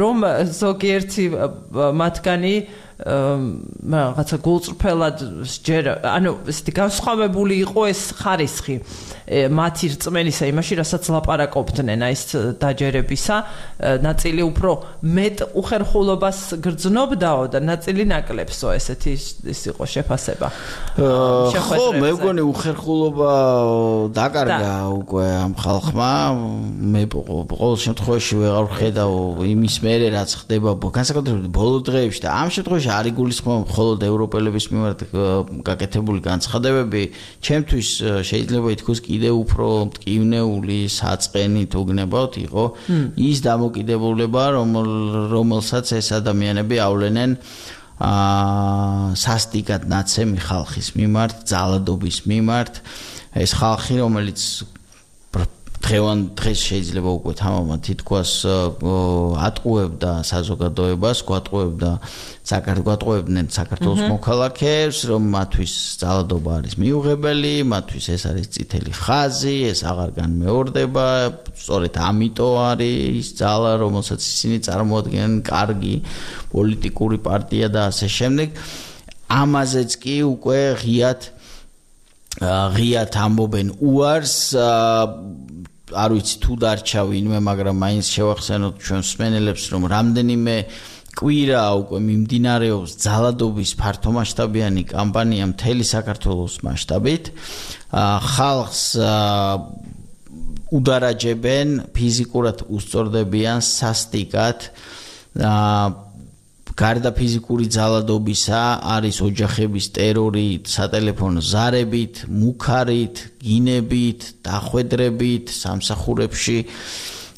რომ ზოგიერთი მათგანი რაღაცა გულწრფელად ჯერ ანუ ესეთი განსხვავებული იყო ეს ხარისხი მათი რწმენისა იმაში, რასაც ლაპარაკობდნენ აი ეს დაჯერებისა, ნაწილი უფრო მეტ უხერხულობას გრძნობდაო და ნაწილი ნაკლებსო, ესეთი ის იყო შეფასება. ხო, მე მგონი უხერხულობა დაკარგა უკვე ამ ხალხმა. მე ყოველ შემთხვევაში ვეღარ ვხედავ იმის მერე რაც ხდება განსაკუთრებით ბოლო დღეებში და ამ შემთხვევაში არ იგულისხმება მხოლოდ ევროპელების მიმართ გაკეთებული განცხადებები, ჩემთვის შეიძლება ითქვას კიდევ უფრო მტკივნეული საწყენი თუ გნებავთ იყო ის დამოკიდებულება, რომელსაც ეს ადამიანები ავლენენ სასტიკად ნაცემი ხალხის მიმართ, ძალადობის მიმართ, ეს ხალხი, რომელიც დღევან დღეს შეიძლება უკვე თამამად თითქოს ატყუებდა საზოგადოებას, გვატყუებდა საქართველოს საქართველოს მოქალაქეებს, რომ მათთვის ძალადობა არის მიუღებელი, მათთვის ეს არის წითელი ხაზი, ეს აღარ განმეორდება, სწორედ ამიტომ არის ძალა, რომელსაც ისინი წარმოადგენენ კარგი პოლიტიკური პარტია და ასე შემდეგ. ამაზეც კი უკვე ღიად ღიად ამბობენ უარს არ ვიცი თუ დარჩა ვინმე, მაგრამ მაინც შევახსენოთ ჩვენ მსმენელებს, რომ რამდენიმე კვირა უკვე მიმდინარეობს ძალადობის ფართომასშტაბიანი კამპანია მთელი საქართველოს მასშტაბით. ხალხს უდარაჯებენ, ფიზიკურად უსწორდებიან სასტიკად. გარდა ფიზიკური ძალადობისა არის ოჯახების ტერორი, სატელეფონო ზარებით, მუქარით, გინებით, დახვედრებით, სამსახურებში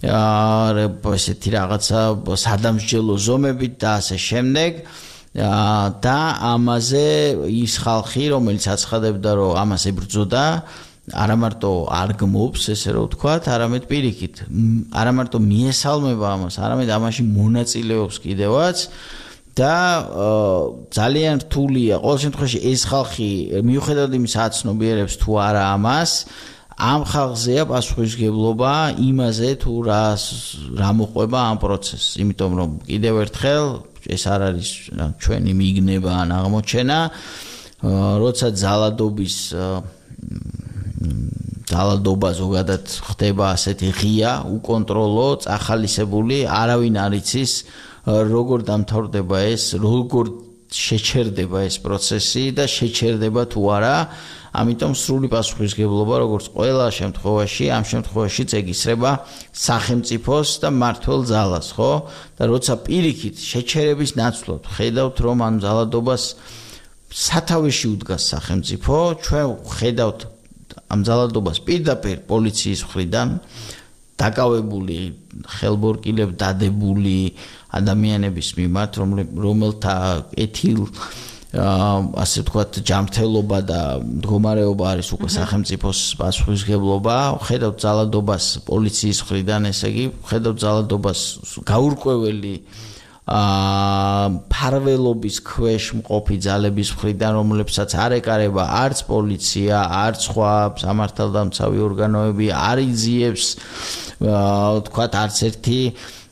ესეთი რაღაცა სადამსჯელო ზომებით და ასე შემდეგ. და ამაზე ის ხალხი, რომელიც აცხადებდა, რომ ამას ებრძოდა, არა მარტო არ გმობს, ესე რომ ვთქვათ, არამედ პირიქით, არა მარტო მიესალმება ამას, არამედ ამაში მონაწილეობს კიდევაც. და ძალიან რთულია ყოველ შემთხვევაში ეს ხალხი მიუხედავად იმისა აცნობიერებს თუ არა ამას, ამ ხალხზეა პასუხისმგებლობა იმაზე თუ რა რა მოყვება ამ პროცესს, იმიტომ რომ კიდევ ერთხელ ეს არ არის ჩვენი მიგნება ან აღმოჩენა, როცა ძალადობის ძალადობა ზოგადად ხდება ასეთი ღია, უკონტროლო, წახალისებული, არავინ არ იცის როგორ დამთავრდება ეს, როგორ შეჩერდება ეს პროცესი და შეჩერდება თუ არა, ამიტომ სრული პასუხისმგებლობა როგორც ყველა შემთხვევაში, ამ შემთხვევაშიც ეკისრება სახელმწიფოს და მმართველ ძალას, ხო? და როცა პირიქით შეჩერების ნაცვლად ხედავთ, რომ ამ ძალადობას სათავეში უდგას სახელმწიფო, ჩვენ ხედავთ ამ ძალადობას პირდაპირ პოლიციის მხრიდან დაკავებული, ხელბორკილებ დადებული ადამიანების მიმართ, რომელთა ეთილ ასე ვთქვათ ჯანმრთელობა და მდგომარეობა არის უკვე სახელმწიფოს პასუხისმგებლობა. ხედავთ ძალადობას პოლიციის მხრიდან, ესე იგი, ხედავთ ძალადობას გაურკვეველი ფარველობის ქვეშ მყოფი ძალების მხრიდან, რომლებსაც არ ეკარება არც პოლიცია, არც სხვა სამართალდამცავი ორგანოები, არ იძიებს ვთქვათ არც ერთი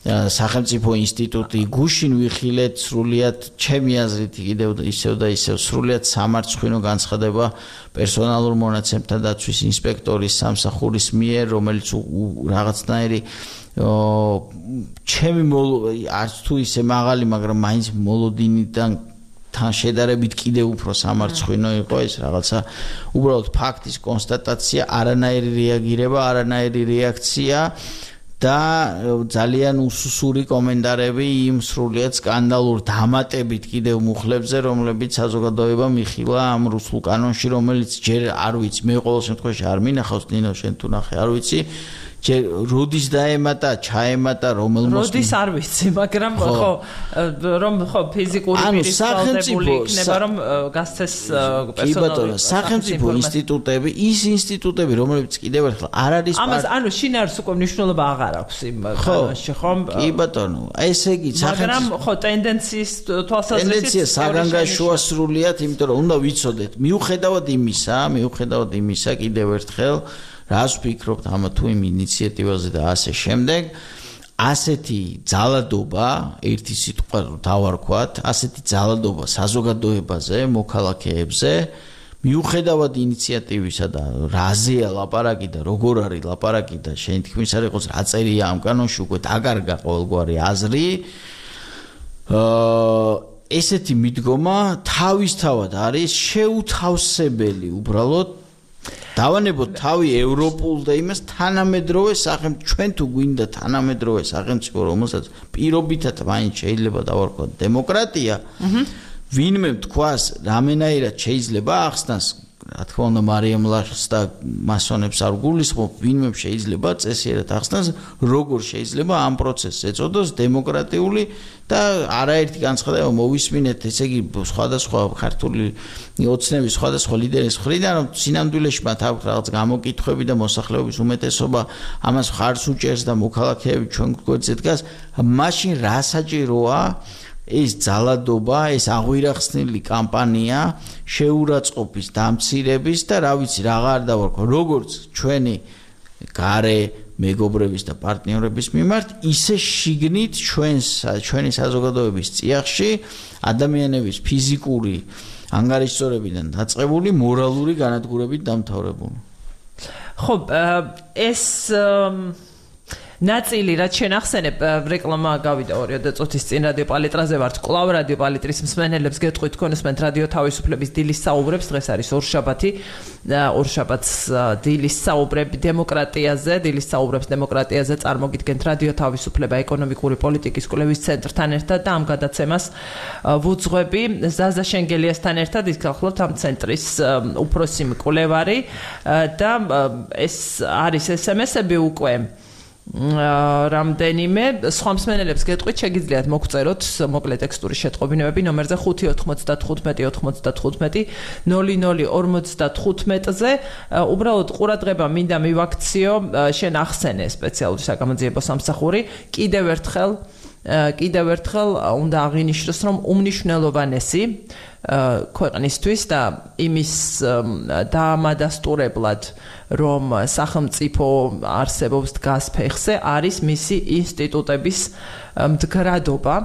სახელმწიფო ინსტიტუტი. გუშინ ვიხილეთ სრულიად ჩემი აზრით კიდევ ისევ და ისევ სრულიად სამარცხვინო განცხადება პერსონალურ მონაცემთა დაცვის ინსპექტორის სამსახურის მიერ, რომელიც რაღაცნაირი ჩემი არც თუ ისე მაღალი, მაგრამ მაინც მოლოდინიდან თან შედარებით კიდევ უფრო სამარცხვინო იყო ეს რაღაცა უბრალოდ ფაქტის კონსტატაცია, არანაირი რეაგირება, არანაირი რეაქცია და ძალიან უსუსური კომენტარები იმ სრულიად სკანდალურ დამატებით კიდევ მუხლებზე, რომლებიც საზოგადოება მიხილა ამ რუსულ კანონში, რომელიც ჯერ არ ვიცი, მე ყოველ შემთხვევაში არ მინახავს, ნინო შენ თუ ნახე, არ ვიცი. როდის დაემატა, ჩაემატა, რომელ მოსმენად? როდის არ ვიცი, მაგრამ ხო, რომ ხო ფიზიკური პირის ვალდებული იქნება, რომ გასცეს პერსონალური სახელმწიფო ინსტიტუტები, ის ინსტიტუტები, რომლებიც კიდევ ერთხელ არ არის ამას, ანუ შინ არის უკვე მნიშვნელობა აღარ აქვს იმ კანონში, ხო? კი ბატონო, ესე იგი მაგრამ ხო ტენდენციის თვალსაზრისით ტენდენცია საგანგაშოა სრულიად, იმიტომ რომ უნდა ვიცოდეთ, მიუხედავად იმისა, მიუხედავად იმისა, კიდევ ერთხელ რას ვფიქრობთ ამა თუ იმ ინიციატივაზე და ასე შემდეგ, ასეთი ძალადობა, ერთი სიტყვა დავარქვათ, ასეთი ძალადობა საზოგადოებაზე, მოქალაქეებზე, მიუხედავად ინიციატივისა და რაზეა ლაპარაკი და როგორ არის ლაპარაკი და შენ თქმის არ იყოს რა წერია ამ კანონში უკვე დაკარგა ყოველგვარი აზრი, აა ესეთი მიდგომა თავისთავად არის შეუთავსებელი უბრალოდ დავანებოთ თავი ევროპულ და იმას თანამედროვე სახელმწიფო ჩვენ თუ გვინდა თანამედროვე სახელმწიფო რომელსაც პირობითად მაინც შეიძლება დავარქვათ დემოკრატია ვინმე თქვას რამენაირად შეიძლება ახსნას რა თქმა უნდა მარიამ ლაშს და მასონებს არ გულისხმობ ვინმე შეიძლება წესიერად ახსნას როგორ შეიძლება ამ პროცესს ეწოდოს დემოკრატიული და არაერთი განცხადება მოვისმინეთ ესე იგი სხვადასხვა ქართული ოცნების სხვადასხვა ლიდერის მხრიდან რომ სინამდვილეში მათ აქვს რაღაც გამოკითხვები და მოსახლეობის უმეტესობა ამას ხარს უჭერს და მოქალაქეები ჩვენ გვერდზე დგას მაშინ რა საჭიროა ეს ძალადობა, ეს აღვირახსნილი კამპანია შეურაცხყოფის, დამცირების და რა ვიცი, რაღა არ დავარქვა, როგორც ჩვენი გარე მეგობრების და პარტნიორების მიმართ, ისე შიგნით ჩვენს ჩვენი საზოგადოების წიაღში ადამიანების ფიზიკური ანგარიშწორებიდან დაწყებული მორალური განადგურებით დამთავრებული. ხო, ეს ნაწილი რაც შენ ახსენებ რეკლამა გავიდა ორი წუთის წინ რადიო პალიტრაზე ვართ კლავ რადიო პალიტრის მსმენელებს გეტყვით თქვენსმენთ რადიო თავისუფლების დილის საუბრებს დღეს არის ორშაბათი ორშაბათს დილის საუბრები დემოკრატიაზე დილის საუბრებს დემოკრატიაზე წარმოგიდგენთ რადიო თავისუფლება ეკონომიკური პოლიტიკის კვლევის ცენტრთან ერთად და ამ გადაცემას ვუძღვები ზაზა შენგელიასთან ერთად ის გახლავთ ამ ცენტრის უფროსი მკვლევარი და ეს არის ესემესები უკვე რამდენიმე სხვა მსმენელებს გეტყვით შეგიძლიათ მოგწეროთ მოკლე ტექსტური შეტყობინებები ნომერზე ხუთი ოთხმოცდათხუთმეტი ოთხმოცდათხუთმეტი ნული ნული ორმოცდათხუთმეტზე უბრალოდ ყურადღება მინდა მივაქციო შენ ახსენე სპეციალური საგამოძიებო სამსახური კიდევ ერთხელ კიდევ ერთხელ უნდა აღინიშნოს რომ უმნიშვნელოვანესი ქვეყნისთვის და იმის დაამადასტურებლად რომ სახელმწიფო არსებობს დგას ფეხზე არის მისი ინსტიტუტების მდგრადობა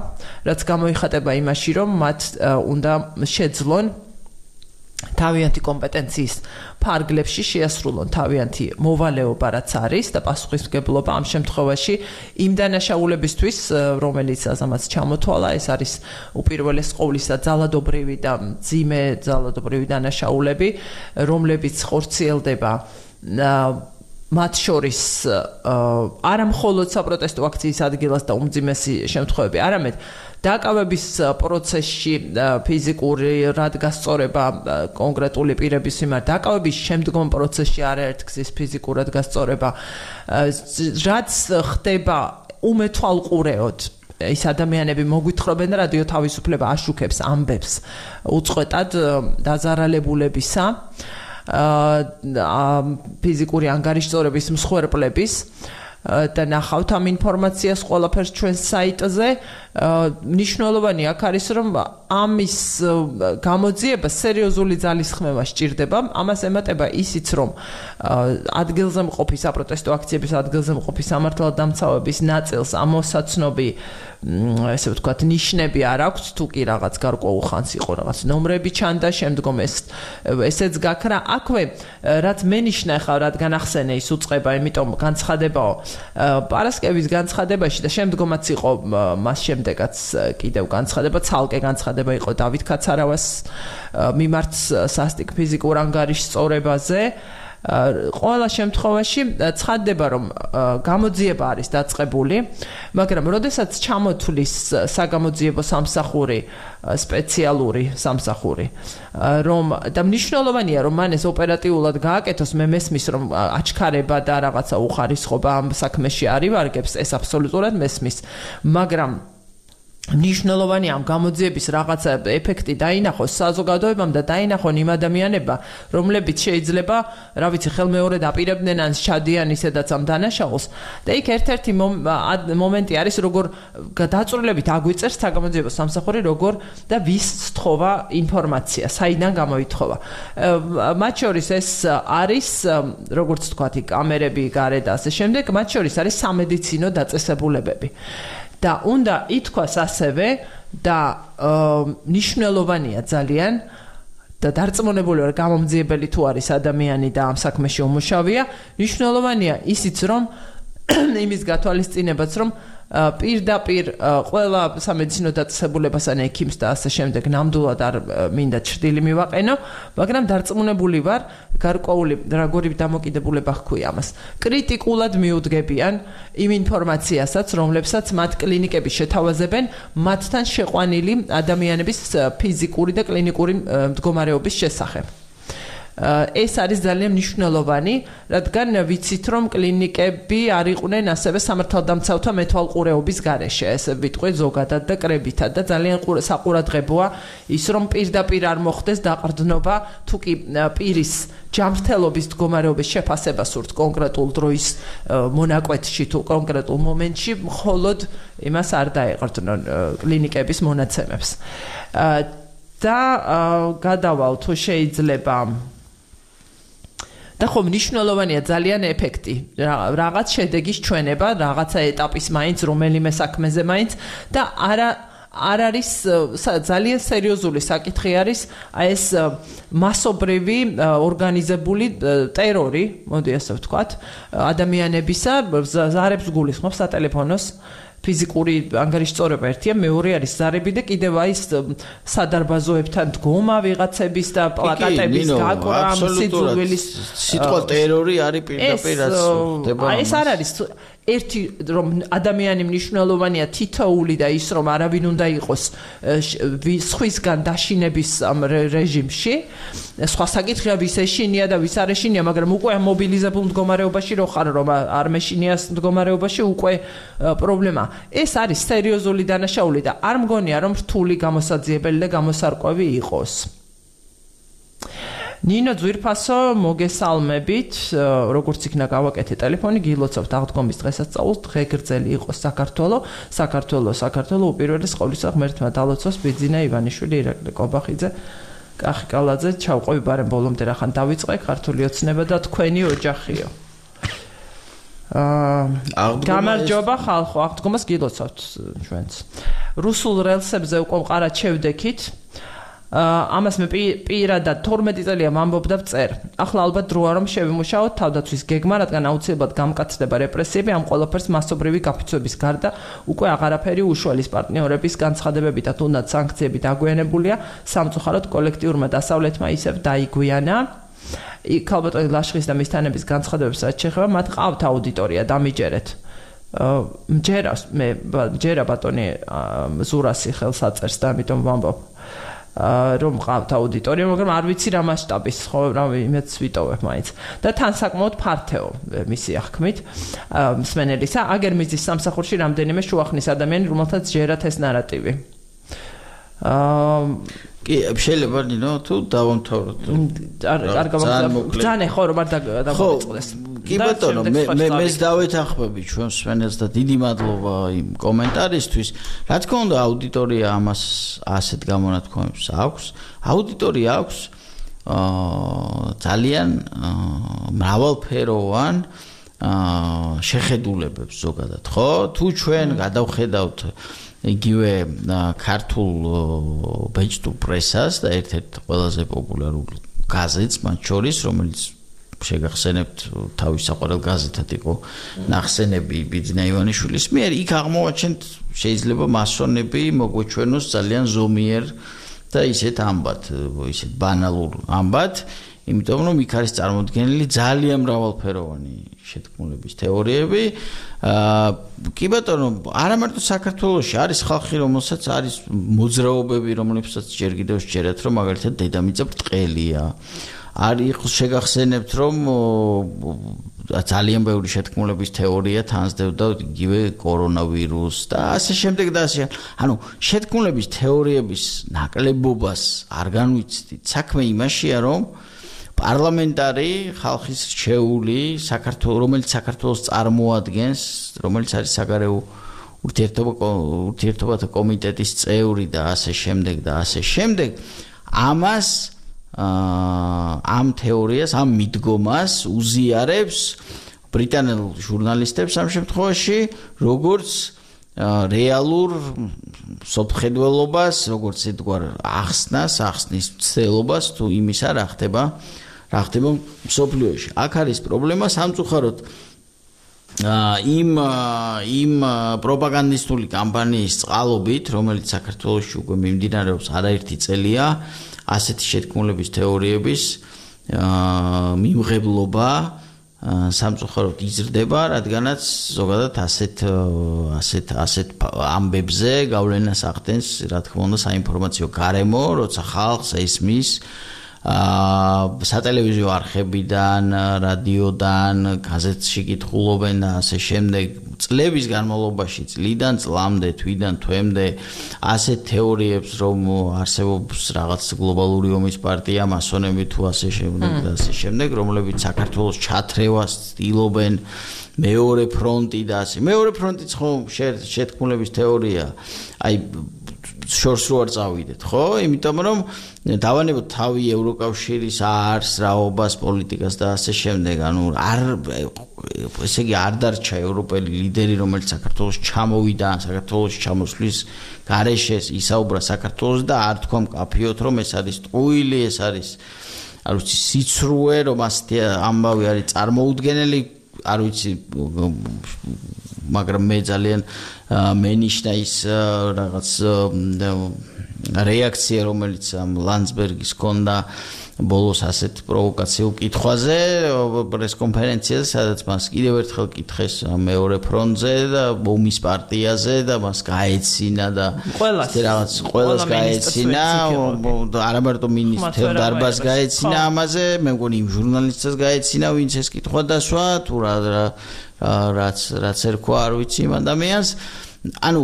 რაც გამოიხატება იმაში რომ მათ უნდა შეძლონ თავიანთი კომპეტენციის ფარგლებში შეასრულონ თავიანთი მოვალეობა რაც არის და პასუხისმგებლობა ამ შემთხვევაში იმ დანაშაულებისთვის რომელიც ამას ჩამოთვალა ეს არის უპირველეს ყოვლისა ძალადობრივი და მძიმე ძალადობრივი დანაშაულები რომლებიც ხორციელდება მათ შორის არა მხოლოდ საპროტესტო აქციის ადგილას და უმძიმესი შემთხვევები არამედ დაკავების პროცესში ფიზიკური რადგასწორება კონკრეტული პირების მიმართ დაკავების შემდგომ პროცესში არაერთგზის ფიზიკურად გასწორება რაც ხდება უმეთვალყურეოდ ის ადამიანები მოგვითხრობენ რადიო თავისუფლება აშუქებს ამბებს უწყვეტად დაზარალებულებისა ფიზიკური ანგარიშწორების მსხვერპლების და ნახავთ ამ ინფორმაციას ყველაფერს ჩვენ საიტზე მნიშვნელოვანი აქ არის რომ ამის გამოძიება სერიოზული ძალისხმევა სჭირდება ამას ემატება ისიც რომ ადგილზე მყოფი საპროტესტო აქციების ადგილზე მყოფი სამართალდამცავების ნაწილს ამოსაცნობი ესე ვთქვათ ნიშნები არ აქვს თუ კი რაღაც გარკვეულ ხანს იყო რაღაც ნომრები ჩანდა შემდგომ ეს ესეც გაქრა აქვე რაც მენიშნა ხა რადგან ახსენე ის უწყება იმიტომ განცხადებაო პარასკევის განცხადებაში და შემდგომაც იყო მას შემდეგაც კიდევ განცხადება ცალკე განცხადება იყო დავით კაცარავას მიმართ სასტიკ ფიზიკურ ანგარიშწორებაზე ყველა შემთხვევაში ცხადდება რომ გამოძიება არის დაწყებული მაგრამ როდესაც ჩამოთვლის საგამოძიებო სამსახური სპეციალური სამსახური რომ და მნიშვნელოვანია რომ მან ეს ოპერატიულად გააკეთოს მე მესმის რომ აჩქარება და რაღაცა უხარისხობა ამ საქმეში არ ივარგებს ეს აბსოლუტურად მესმის მაგრამ ნიშნულოვანი ამ გამოძიების რაღაცა ეფექტი დაინახოს საზოგადოებამ და დაინახონ იმ ადამიანებმა, რომლებიც შეიძლება, რა ვიცი, ხელმეორედ აპირებდნენ ან შადიან ისედაც ამ დანაშაულს. და იქ ერთ-ერთი მომენტი არის, როგორ დაწვრილებით აგვიწერს საგამოძიებო სამსახური, როგორ და ვის სთხოვა ინფორმაცია, საიდან გამოითხოვა. მათ შორის ეს არის, როგორც თქვათ, კამერები, გარე და ასე შემდეგ, მათ შორის არის სამედიცინო დაწესებულებები. და უნდა ითქვას ასევე და ნიშნულოვანია ძალიან და დარწმუნებული ვარ გამომძიებელი თუ არის ადამიანი და ამ საქმეში უმუშავია, ნიშნულოვანია ისიც რომ იმის გათვალისწინებაც რომ პირდაპირ ყველა სამედიცინო დაწესებულებას ან ექიმს და ასე შემდეგ ნამდვილად არ მინდა ჩრდილი მივაყენო, მაგრამ დარწმუნებული ვარ გარკვეული როგორი დამოკიდებულება ჰქვია ამას. კრიტიკულად მიუდგებიან იმ ინფორმაციასაც, რომლებსაც მათ კლინიკები შეთავაზებენ მათთან შეყვანილი ადამიანების ფიზიკური და კლინიკური მდგომარეობის შესახებ. ეს არის ძალიან მნიშვნელოვანი, რადგან ვიცით რომ კლინიკები არ იყვნენ ასევე სამართალდამცავთა მეთვალყურეობის გარეშე, ესე ვიტყვი ზოგადად და კრებითად და ძალიან საყურადღებოა ის რომ პირდაპირ არ მოხდეს დაყრდნობა თუ კი პირის ჯანმრთელობის მდგომარეობის შეფასება სურთ კონკრეტულ დროის მონაკვეთში თუ კონკრეტულ მომენტში, მხოლოდ იმას არ დაეყრდნონ კლინიკების მონაცემებს. და გადავალ თუ შეიძლება და ხომ მნიშვნელოვანია ძალიან ეფექტი, რაღაც შედეგის ჩვენება, რაღაცა ეტაპის მაინც, რომელიმე საქმეზე მაინც და არა არ არის ძალიან სერიოზული საკითხი არის ეს მასობრივი ორგანიზებული ტერორი, მოდი ასე ვთქვათ, ადამიანებისა, ზარებს გულისხმობს სატელეფონოს ფიზიკური ანგარიშწორება ერთია, მეორე არის ზარები და კიდევ აი სადარბაზოებთან დგომა ვიღაცების და პლაკატების გაკვრა, სიძულვილის სიტყვა ტერორი არის პირდაპირ რაც ხდება. ეს არ არის ერთი რომ ადამიანი მნიშვნელოვანია თითოეული და ის რომ არავინ უნდა იყოს სხვისგან დაშინების ამ რეჟიმში, სხვა საკითხია ვის ეშინია და ვის არ ეშინია, მაგრამ უკვე მობილიზებულ მდგომარეობაში რო ხარ რომ არ მეშინიას მდგომარეობაში უკვე პრობლემა. ეს არის სერიოზული დანაშაული და არ მგონია რომ რთული გამოსაძიებელი და გამოსარკვევი იყოს. ნინო ძვირფასო, მოგესალმებით, როგორც იქნა გავაკეთე ტელეფონი, გილოცავთ აღდგომის დღესასწაულს, დღე გრძელი იყოს საქართველო, საქართველო, საქართველო უპირველეს ყოვლისა ღმერთმა დალოცოს ბიძინა ივანიშვილი, ირაკლი კობახიძე, კახი კალაძე, ჩავყვევი ბარემ ბოლომდე რახან დავიწყე, ქართული ოცნება და თქვენი ოჯახიო. გამარჯობა ხალხო, აღდგომას გილოცავთ ჩვენც. რუსულ რელსებზე უკვე მყარად შევდექით. ამას მე პირადად თორმეტი წელია ვამბობ და ვწერ. ახლა ალბათ დროა რომ შევიმუშაოთ თავდაცვის გეგმა, რადგან აუცილებლად გამკაცდება რეპრესიები, ამ ყველაფერს მასობრივი გაფიცვების გარდა უკვე აღარაფერი უშუალის პარტნიორების განცხადებები და თუნდაც სანქციები დაგვიანებულია, სამწუხაროდ კოლექტიურმა დასავლეთმა ისევ დაიგვიანა. ქალბატონი ლაშხის და მისთანების განცხადებებს რაც შეეხება, მათ ყავთ აუდიტორია, დამიჯერეთ. მჯერავს მე მჯერა ბატონი ზურასი ხელს აწერს და ამიტომ ვამბობ. რომ ყავთ აუდიტორია, მაგრამ არ ვიცი რა მასშტაბის, ხო, რა იმედს ვიტოვებ მაინც. და თან საკმაოდ ფართეო მისი აღქმით მსმენელისა, აგერ მიზის სამსახურში რამდენიმე შუახნის ადამიანი, რომელთაც ჯერათ ეს ნარატივი. აა კი, შეიძლება ნინო თუ დავამთავროთ. არ გავაგზავნე ხო რომ არ დავიწყდეს. კი ბატონო, მე მე მეც დავეთანხმები ჩვენ მსმენელს და დიდი მადლობა იმ კომენტარისთვის. რა თქმა უნდა, აუდიტორია ამას ასეთ გამონათქვამებს აქვს. აუდიტორია აქვს აა ძალიან მრავალფეროვან აა შეხედულებებს ზოგადად, ხო? თუ ჩვენ გადავხედავთ იგივე ქართულ ბეჭდურ პრესას და ერთ-ერთ ყველაზე პოპულარულ გაზეთს მათ შორის, რომელიც შეგახსენებთ თავის საყვარელ გაზეთად იყო ნახსენები ბიძინა ივანიშვილის მიერ, იქ აღმოაჩენთ შეიძლება მასონები მოგვეჩვენოს ძალიან ზომიერ და ისეთ ამბად, ისეთ ბანალურ ამბად, იმიტომ რომ იქ არის წარმოდგენილი ძალიან მრავალფეროვანი შეთქმულების თეორიები. აა კი ბატონო, არა მარტო საქართველოში არის ხალხი, რომელსაც არის მოძრაობები, რომლებსაც ჯერ კიდევ შეერათ, რომ მაგალითად დედამიწა ბრტყელია. არ იყოს შეგახსენებთ რომ ძალიან ბევრი შეთქმულების თეორია თანსდევდა იგივე კორონავირუსს და ასე შემდეგ და ასე ანუ შეთქმულების თეორიების ნაკლებობას არ განვიცდით საქმე იმაშია რომ პარლამენტარი ხალხის რჩეული საქართველოს რომელიც საქართველოს წარმოადგენს რომელიც არის საგარეო ურთიერთობა ურთიერთობათა კომიტეტის წევრი და ასე შემდეგ და ასე შემდეგ ამას ამ თეორიას ამ მიდგომას უზიარებს ბრიტანელ ჟურნალისტებს ამ შემთხვევაში როგორც რეალურ სოფხედველობას როგორც ეთქვარ ახსნას ახსნის ცდელობას თუ იმისა რა ხდება რა ხდება მსოფლიოში აქ არის პრობლემა სამწუხაროდ იმ იმ პროპაგანდისტული კამპანიის წყალობით რომელიც საქართველოში უკვე მიმდინარეობს არაერთი წელია ასეთი შეთქმულების თეორიების მიმღებლობა სამწუხაროდ იზრდება, რადგანაც ზოგადად ასეთ ასეთ ასეთ ამბებზე გავლენას ახდენს, რა თქმა უნდა, საინფორმაციო გარემო, როცა ხალხს ესმის აა სატელევიზიო არხებიდან, რადიოდან, გაზეთში კითხულობენ და ასე შემდეგ წლების განმავლობაში, წლიდან წლამდე, თვიდან თვემდე ასეთ თეორიებს, რომ არსებობს რაღაც გლობალური ომის პარტია, მასონები თუ ასე შემდეგ და ასე შემდეგ, რომლებიც საქართველოს ჩათრევას ცდილობენ მეორე ფრონტი და ასე. მეორე ფრონტიც ხო შეთქმულების თეორია, აი შორს რო არ წავიდეთ, ხო? იმიტომ რომ დავანებოთ თავი ევროკავშირის არს, რაობას, პოლიტიკას და ასე შემდეგ. ანუ არ ესე იგი არ დარჩა ევროპელი ლიდერი, რომელიც საქართველოს ჩამოვიდა, საქართველოს ჩამოსვლის გარეშე ისაუბრა საქართველოს და არ თქვა მკაფიოდ, რომ ეს არის ტყუილი, ეს არის არ ვიცი სიცრუე, რომ ასეთი ამბავი არის წარმოუდგენელი, არ ვიცი მაგრამ მე ძალიან მენიშნა ის რაღაც რეაქცია რომელიც ამ ლანდსბერგის ჰქონდა ბოლოს ასეთ პროვოკაციულ კითხვაზე პრეს კონფერენციაზე სადაც მას კიდევ ერთხელ კითხეს მეორე ფრონტზე და ომის პარტიაზე და მას გაეცინა და რაღაც ყველას გაეცინა არა მარტო მინისტრ დარბაზს გაეცინა ამაზე მე მგონი იმ ჟურნალისტებს გაეცინა ვინც ეს კითხვა დასვა თუ რა რაც რაც ერქვა არ ვიცი იმ ადამიანს ანუ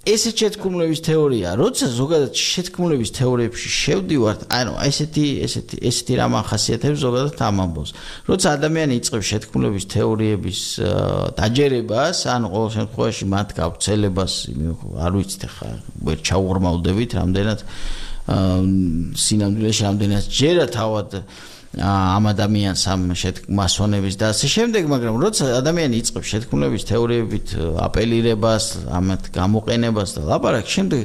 ესეთ შეთქმულების თეორია, როცა ზოგადად შეთქმულების თეორიებში შევდივართ, ანუ ესეთი ესეთი ესეთი რამ ახასიათებს ზოგადად ამ ამბავს. როცა ადამიანი იწყებს შეთქმულების თეორიების დაჯერებას, ანუ ყოველ შემთხვევაში მათ გავრცელებას, არ ვიცით ახლა ვერ ჩაუღრმავდებით, რამდენად სინამდვილეში რამდენად ჯერა თავად ამ ადამიანს ამ მასონების და ასე შემდეგ, მაგრამ როცა ადამიანი იწყებს შეთქმულების თეორიებით აპელირებას, ამათ გამოყენებას და ლაპარაკს, შემდეგ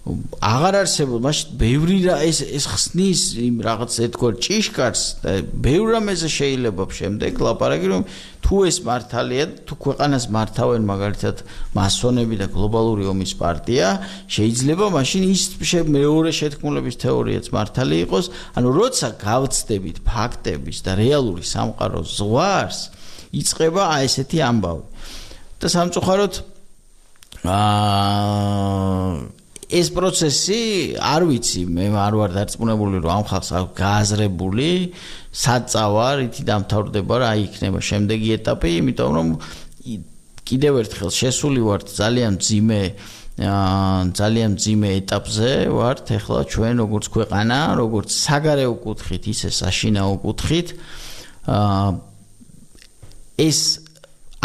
აღარ არსებობს, მაშინ ბევრი რა ეს ეს ხსნის იმ რაღაც ეთქვა ჭიშკარს და ბევრ რამეზე შეიძლება შემდეგ ლაპარაკი, რომ თუ ეს მართალია, თუ ქვეყანას მართავენ მაგალითად მასონები და გლობალური ომის პარტია, შეიძლება მაშინ ის მეორე შეთქმულების თეორიაც მართალი იყოს, ანუ როცა გავცდებით ფაქტების და რეალური სამყაროს ზღვარს, იწყება აი ესეთი ამბავი. და სამწუხაროდ აა ეს პროცესი არ ვიცი მე არ ვარ დარწმუნებული რომ ამ ხალხს გააზრებული საწავა რითი დამთავრდება რა იქნება შემდეგი ეტაპი იმიტომ რომ კიდევ ერთხელ შესული ვართ ძალიან მძიმე ძალიან მძიმე ეტაპზე ვართ ეხლა ჩვენ როგორც ქვეყანა როგორც საგარეო კუთხით ისე საშინაო კუთხით ეს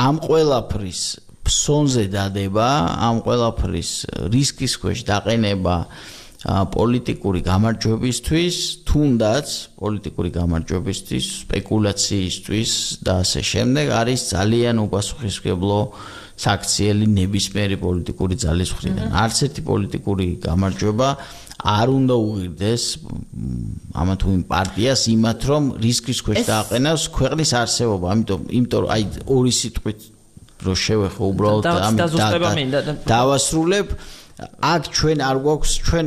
ამ ყველაფრის ფსონზე დადება ამ ყველაფრის რისკის ქვეშ დაყენება პოლიტიკური გამარჯვებისთვის, თუნდაც პოლიტიკური გამარჯვებისთვის, სპეკულაციისთვის და ასე შემდეგ არის ძალიან უპასუხისმგებლო საქციელი ნებისმიერი პოლიტიკური ძალის მხრიდან. არც ერთი პოლიტიკური გამარჯვება არ უნდა უღირდეს ამა თუ იმ პარტიას იმათ რომ რისკის ქვეშ დააყენოს ქვეყნის არსებობა. ამიტომ იმიტომ აი ორი სიტყვით რო შევეხო უბრალოდ ამ დავასრულებ აქ ჩვენ არ გვაქვს ჩვენ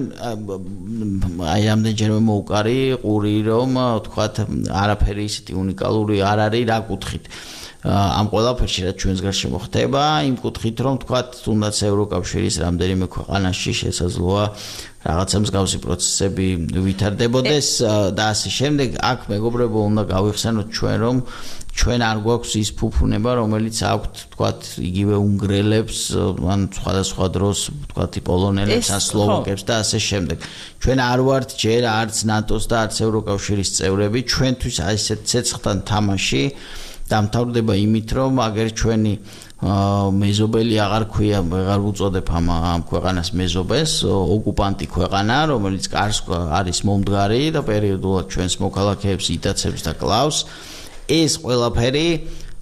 აი ამდენჯერმე მოუყარი ყური რომ თქვათ არაფერი ისეთი უნიკალური არ არის რა კუთხით ამ ყველაფერში რაც ჩვენს გარშემო მოხდება იმ კუთხით რომ თქვათ თუნდაც ევროკავშირის რამდენიმე ქვეყანაში შესაძლოა რაღაცა მსგავსი პროცესები ვითარდებოდეს და ასე შემდეგ აქ მეგობრებო უნდა გავიხსენოთ ჩვენ რომ ჩვენ არ გვაქვს ის ფუფუნება რომელიც აქვთ თქვათ იგივე უნგრელებს ან სხვადასხვა დროს თქვათ პოლონელებს ან სლოვაკებს და ასე შემდეგ ჩვენ არ ვართ ჯერ არც ნატოს და არც ევროკავშირის წევრები ჩვენთვის აი ესეთ ცეცხლთან თამაში დამთავრდება იმით რომ აგერ ჩვენი მეზობელი აღარ ქვია აღარ უწოდებ ამ ამ ქვეყანას მეზობელს ოკუპანტი ქვეყანა რომელიც კარს არის მომდგარი და პერიოდულად ჩვენს მოქალაქეებს იტაცებს და კლავს ეს ყველაფერი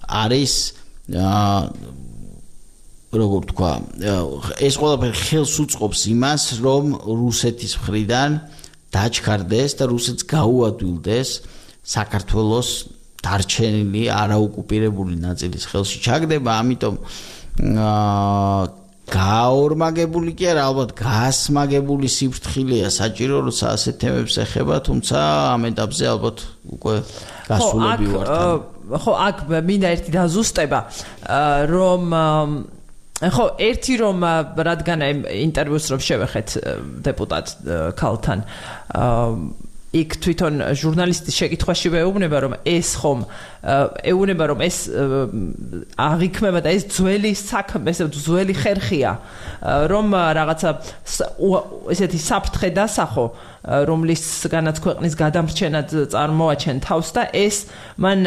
არის როგორ თქვა ეს ყველაფერი ხელს უწყობს იმას რომ რუსეთის მხრიდან დაჩქარდეს და რუსეთს გაუადვილდეს საქართველოს დარჩენილი არაოკუპირებული ნაწილის ხელში ჩაგდება ამიტომ გაორმაგებული კი არა ალბათ გასმაგებული სიფრთხილეა საჭირო როცა ასეთ თემებს ეხება თუმცა ამ ეტაპზე ალბათ უკვე გასულები ვართ ხო აქ მინდა ერთი დაზუსტება რომ ხო ერთი რომ რადგან ინტერვიუს რომ შევეხეთ დეპუტატ ქალთან იქ თვითონ ჟურნალისტის შეკითხვაში ვეუბნება რომ ეს ხომ ეუბნება რომ ეს აღიქმება და ეს ძველი საქმე ეს ძველი ხერხია რომ რაღაცა ესეთი საფრთხე დასახო რომლისგანაც ქვეყნის გადამრჩენად წარმოაჩენ თავს და ეს მან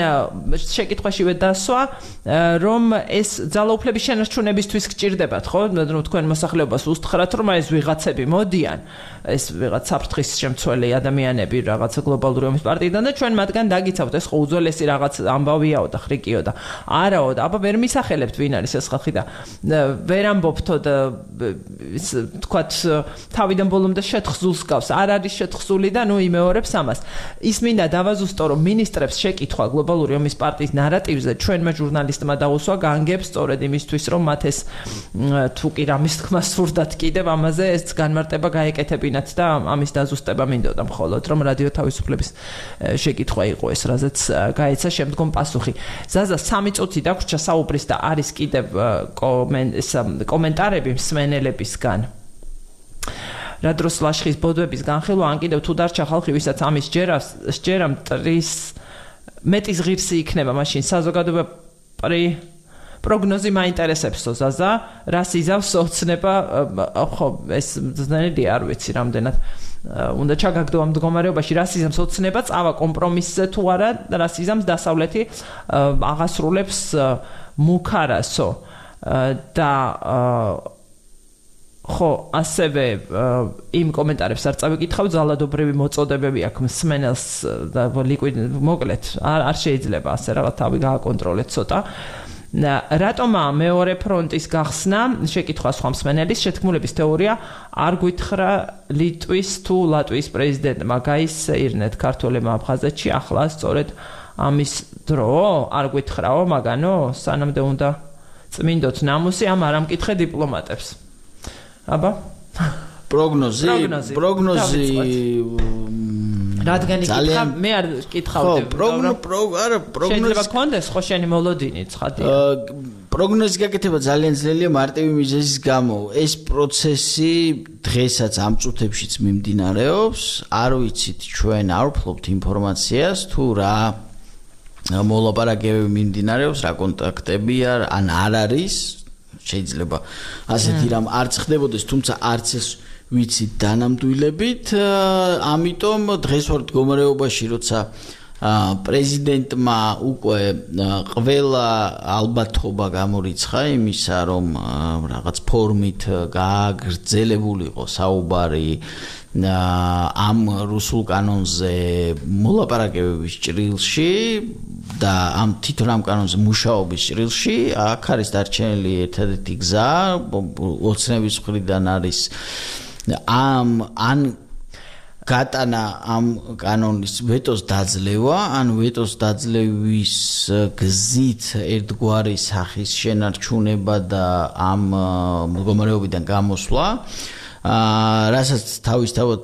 შეკითხვაშივე დასვა რომ ეს ძალაუფლების შენარჩუნებისთვის გჭირდებათ ხო თქვენ მოსახლეობას უსთხრათ რომ ეს ვიღაცები მოდიან ეს ვიღაც საფრთხის შემცველი ადამიანები რაღაცა გლობალური ომის პარტიიდან და ჩვენ მათგან დაგიცავთ ეს ხო უძველესი რაღაც ამბავიაო და ხრიკიო და არაო და აბა ვერ მისახელებთ ვინ არის ეს ხალხი და ვერ ამბობთო და თქვათ თავიდან ბოლომდე შეთხზულს გავს არ არის შეთხზული და ნუ იმეორებს ამას ის მინდა დავაზუსტო რომ მინისტრებს შეკითხვა გლობალური ომის პარტიის ნარატივზე ჩვენმა ჟურნალისტმა დაუსვა განგებს სწორედ იმისთვის რომ მათ ეს თუ კი რამის თქმა სურდათ კიდევ ამაზე ეს განმარტება გაეკეთებინათ და ამის დაზუსტება მინდოდა მხოლოდ რომ რადიო თავისუფლების შეკითხვა იყო ეს რაზეც გაეცა შემდგომ პასუხი ზაზა სამი წუთი დაგვრჩა საუბრის და არის კიდევ კომენტარები მსმენელებისგან რა დროს ლაშხის ბოდვების განხილვა ან კიდევ თუ დარჩა ხალხი ვისაც ამის ჯერას სჯერა მტრის მეტის ღირსი იქნება მაშინ საზოგადოება პრი პროგნოზი მაინტერესებსო ზაზა რას იზავს ოცნება ხო ეს ძნელი არ ვიცი რამდენად უნდა ჩაგაგდო ამ მდგომარეობაში რას იზამს ოცნება წავა კომპრომისზე თუ არა რას იზამს დასავლეთი აღასრულებს მუქარასო და ხო ასევე იმ კომენტარებს არ წავიკითხავ ძალადობრივი მოწოდებები აქვს მსმენელს და ლიკვიდ მოკლედ არ შეიძლება ასე რაღაც თავი გააკონტროლეთ ცოტა რატომა მეორე ფრონტის გახსნა შეკითხვა სხვა მსმენელის შეთქმულების თეორია არ გვითხრა ლიტვის თუ ლატვიის პრეზიდენტმა გაისეირნეთ ქართველებმა აფხაზეთში ახლა სწორედ ამის დრო არ გვითხრაო მაგანო სანამდე უნდა წმინდოთ ნამუსი ამ არ ამკითხე დიპლომატებს აბა პროგნოზი პროგნოზი რადგან იკითხა მე არ კითხავდი არა პროგნოზი შეიძლება კონდეს ხო შენი მოლოდინი ცხადი პროგნოზი გაკეთება ძალიან ძლელია მარტივი მიზეზის გამო ეს პროცესი დღესაც ამ წუთებშიც მიმდინარეობს არ ვიცით ჩვენ არ ვფლობთ ინფორმაციას თუ რა მოლაპარაკებები მიმდინარეობს რა კონტაქტებია ან არ არის შეიძლება ასეთი რამ არც ხდებოდეს თუმცა არც ეს ვიცით დანამდვილებით ამიტომ დღეს ვარ მდგომარეობაში როცა პრეზიდენტმა უკვე ყველა ალბათობა გამორიცხა იმისა რომ რაღაც ფორმით გააგრძელებულიყო საუბარი ამ რუსულ კანონზე მოლაპარაკებების ჭრილში და ამ თვითონ ამ კანონზე მუშაობის ჭრილში აქ არის დარჩენილი ერთადერთი გზა ოცნების მხრიდან არის ამ ან გატანა ამ კანონის ვეტოს დაძლევა ან ვეტოს დაძლევის გზით ერთგვარი სახის შენარჩუნება და ამ მდგომარეობიდან გამოსვლა აა რასაც თავისთავად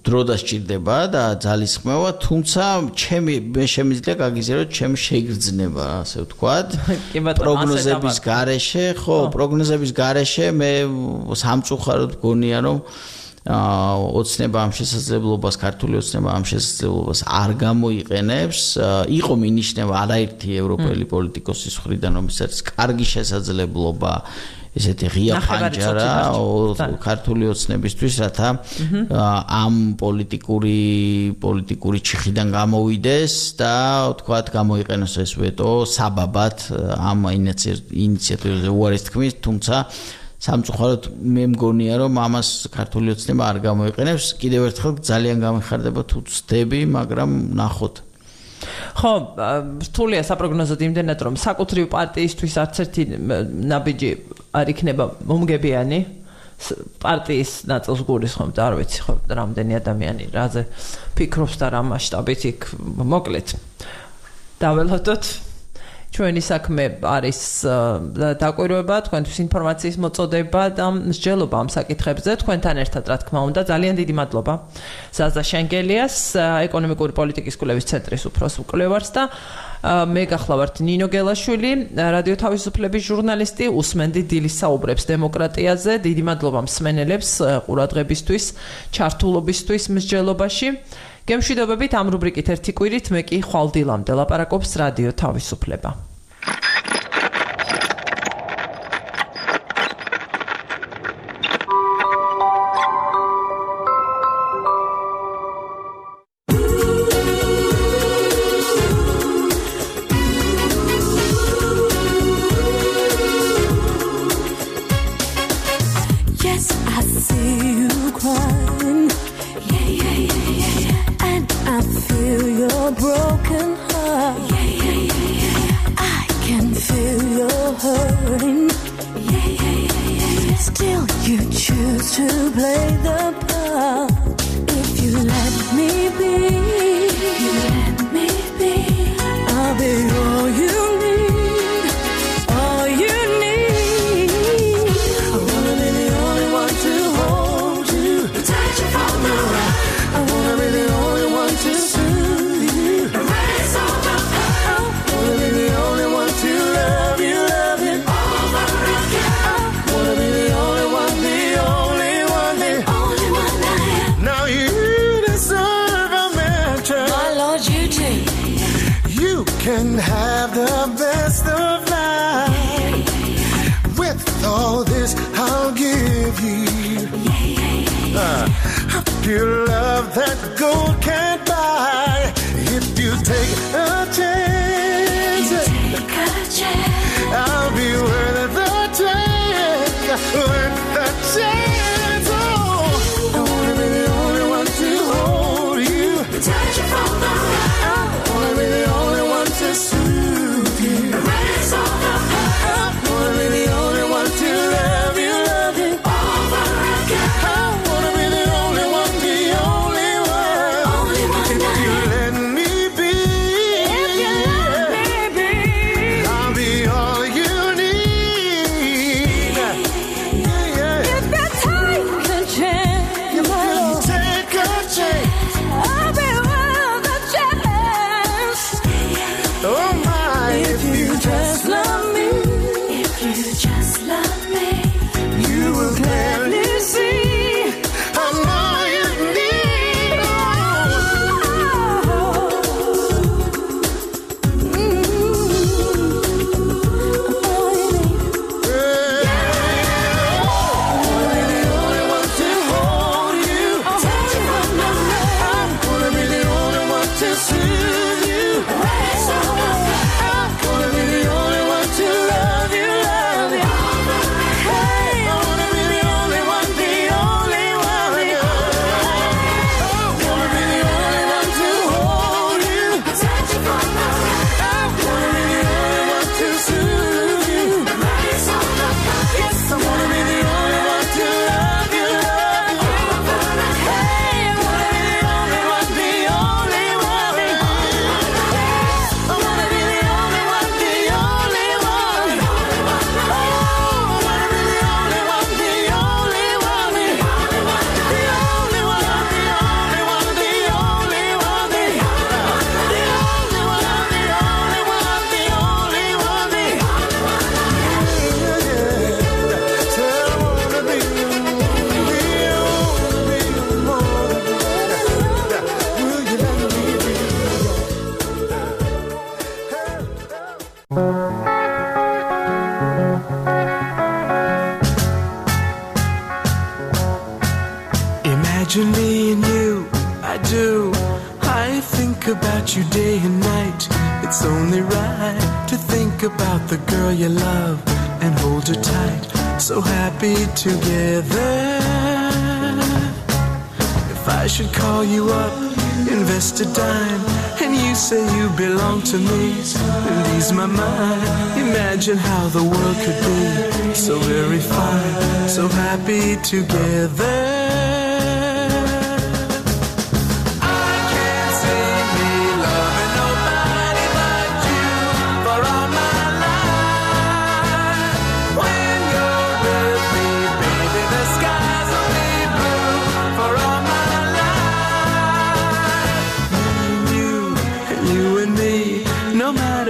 დრო დასჭირდება და ძალისხმევა, თუმცა ჩემი მე შემიძლია გაგიზიაროთ ჩემი შეგრძნება, ასე ვთქვათ. პროგნოზების გარეშე, ხო, პროგნოზების გარეშე მე სამწუხაროდ გონია, რომ ოცნება ამ შესაძლებლობას, ქართული ოცნება ამ შესაძლებლობას არ გამოიყენებს. იყო მინიშნება არაერთი ევროპელი პოლიტიკოსის მხრიდან, რომელსაც კარგი შესაძლებლობა ესეთი ღია ფანჯარა ქართული ოცნებისთვის, რათა ამ პოლიტიკური პოლიტიკური ჩიხიდან გამოვიდეს და თქვათ გამოიყენოს ეს ვეტო საბაბად ამ ინიციატივაზე უარის თქმის, თუმცა სამწუხაროდ მე მგონია, რომ ამას ქართული ოცნება არ გამოიყენებს. კიდევ ერთხელ ძალიან გამიხარდება თუ ვცდები, მაგრამ ნახოთ. ხო, რთულია საპროგნოზოდ იმდენად, რომ საკუთრივ პარტიისთვის არც ერთი ნაბიჯი არ იქნება მომგებიანი. პარტიის ნაწილს გულისხმობთ, არ ვიცი, ხო, რამდენი ადამიანი რაზე ფიქრობს და რა მასშტაბით იქ მოკლედ. დაველოდოთ. ჩვენი საქმე არის დაკვირვება, თქვენთვის ინფორმაციის მოწოდება და მსჯელობა ამ საკითხებზე. თქვენთან ერთად, რა თქმა უნდა, ძალიან დიდი მადლობა ზაზა შენგელიას, ეკონომიკური პოლიტიკის კვლევის ცენტრის უფროს მკვლევარს და მე გახლავართ ნინო გელაშვილი, რადიო თავისუფლების ჟურნალისტი, უსმენდი დილის საუბრებს დემოკრატიაზე. დიდი მადლობა მსმენელებს ყურადღებისთვის, ჩართულობისთვის მსჯელობაში. გემშვიდობებით ამ რუბრიკით ერთი კვირით მე კი ხვალ დილამდე ლაპარაკობს რადიო თავისუფლება. Only Imagine me and you, I do. I think about you day and night. It's only right to think about the girl you love and hold her tight. So happy together. If I should call you up, invest a dime, and you say you belong to me, and ease my mind. Imagine how the world could be so very fine, so happy together.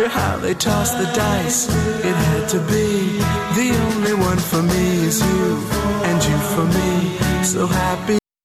How they toss the dice, it had to be. The only one for me is you, and you for me. So happy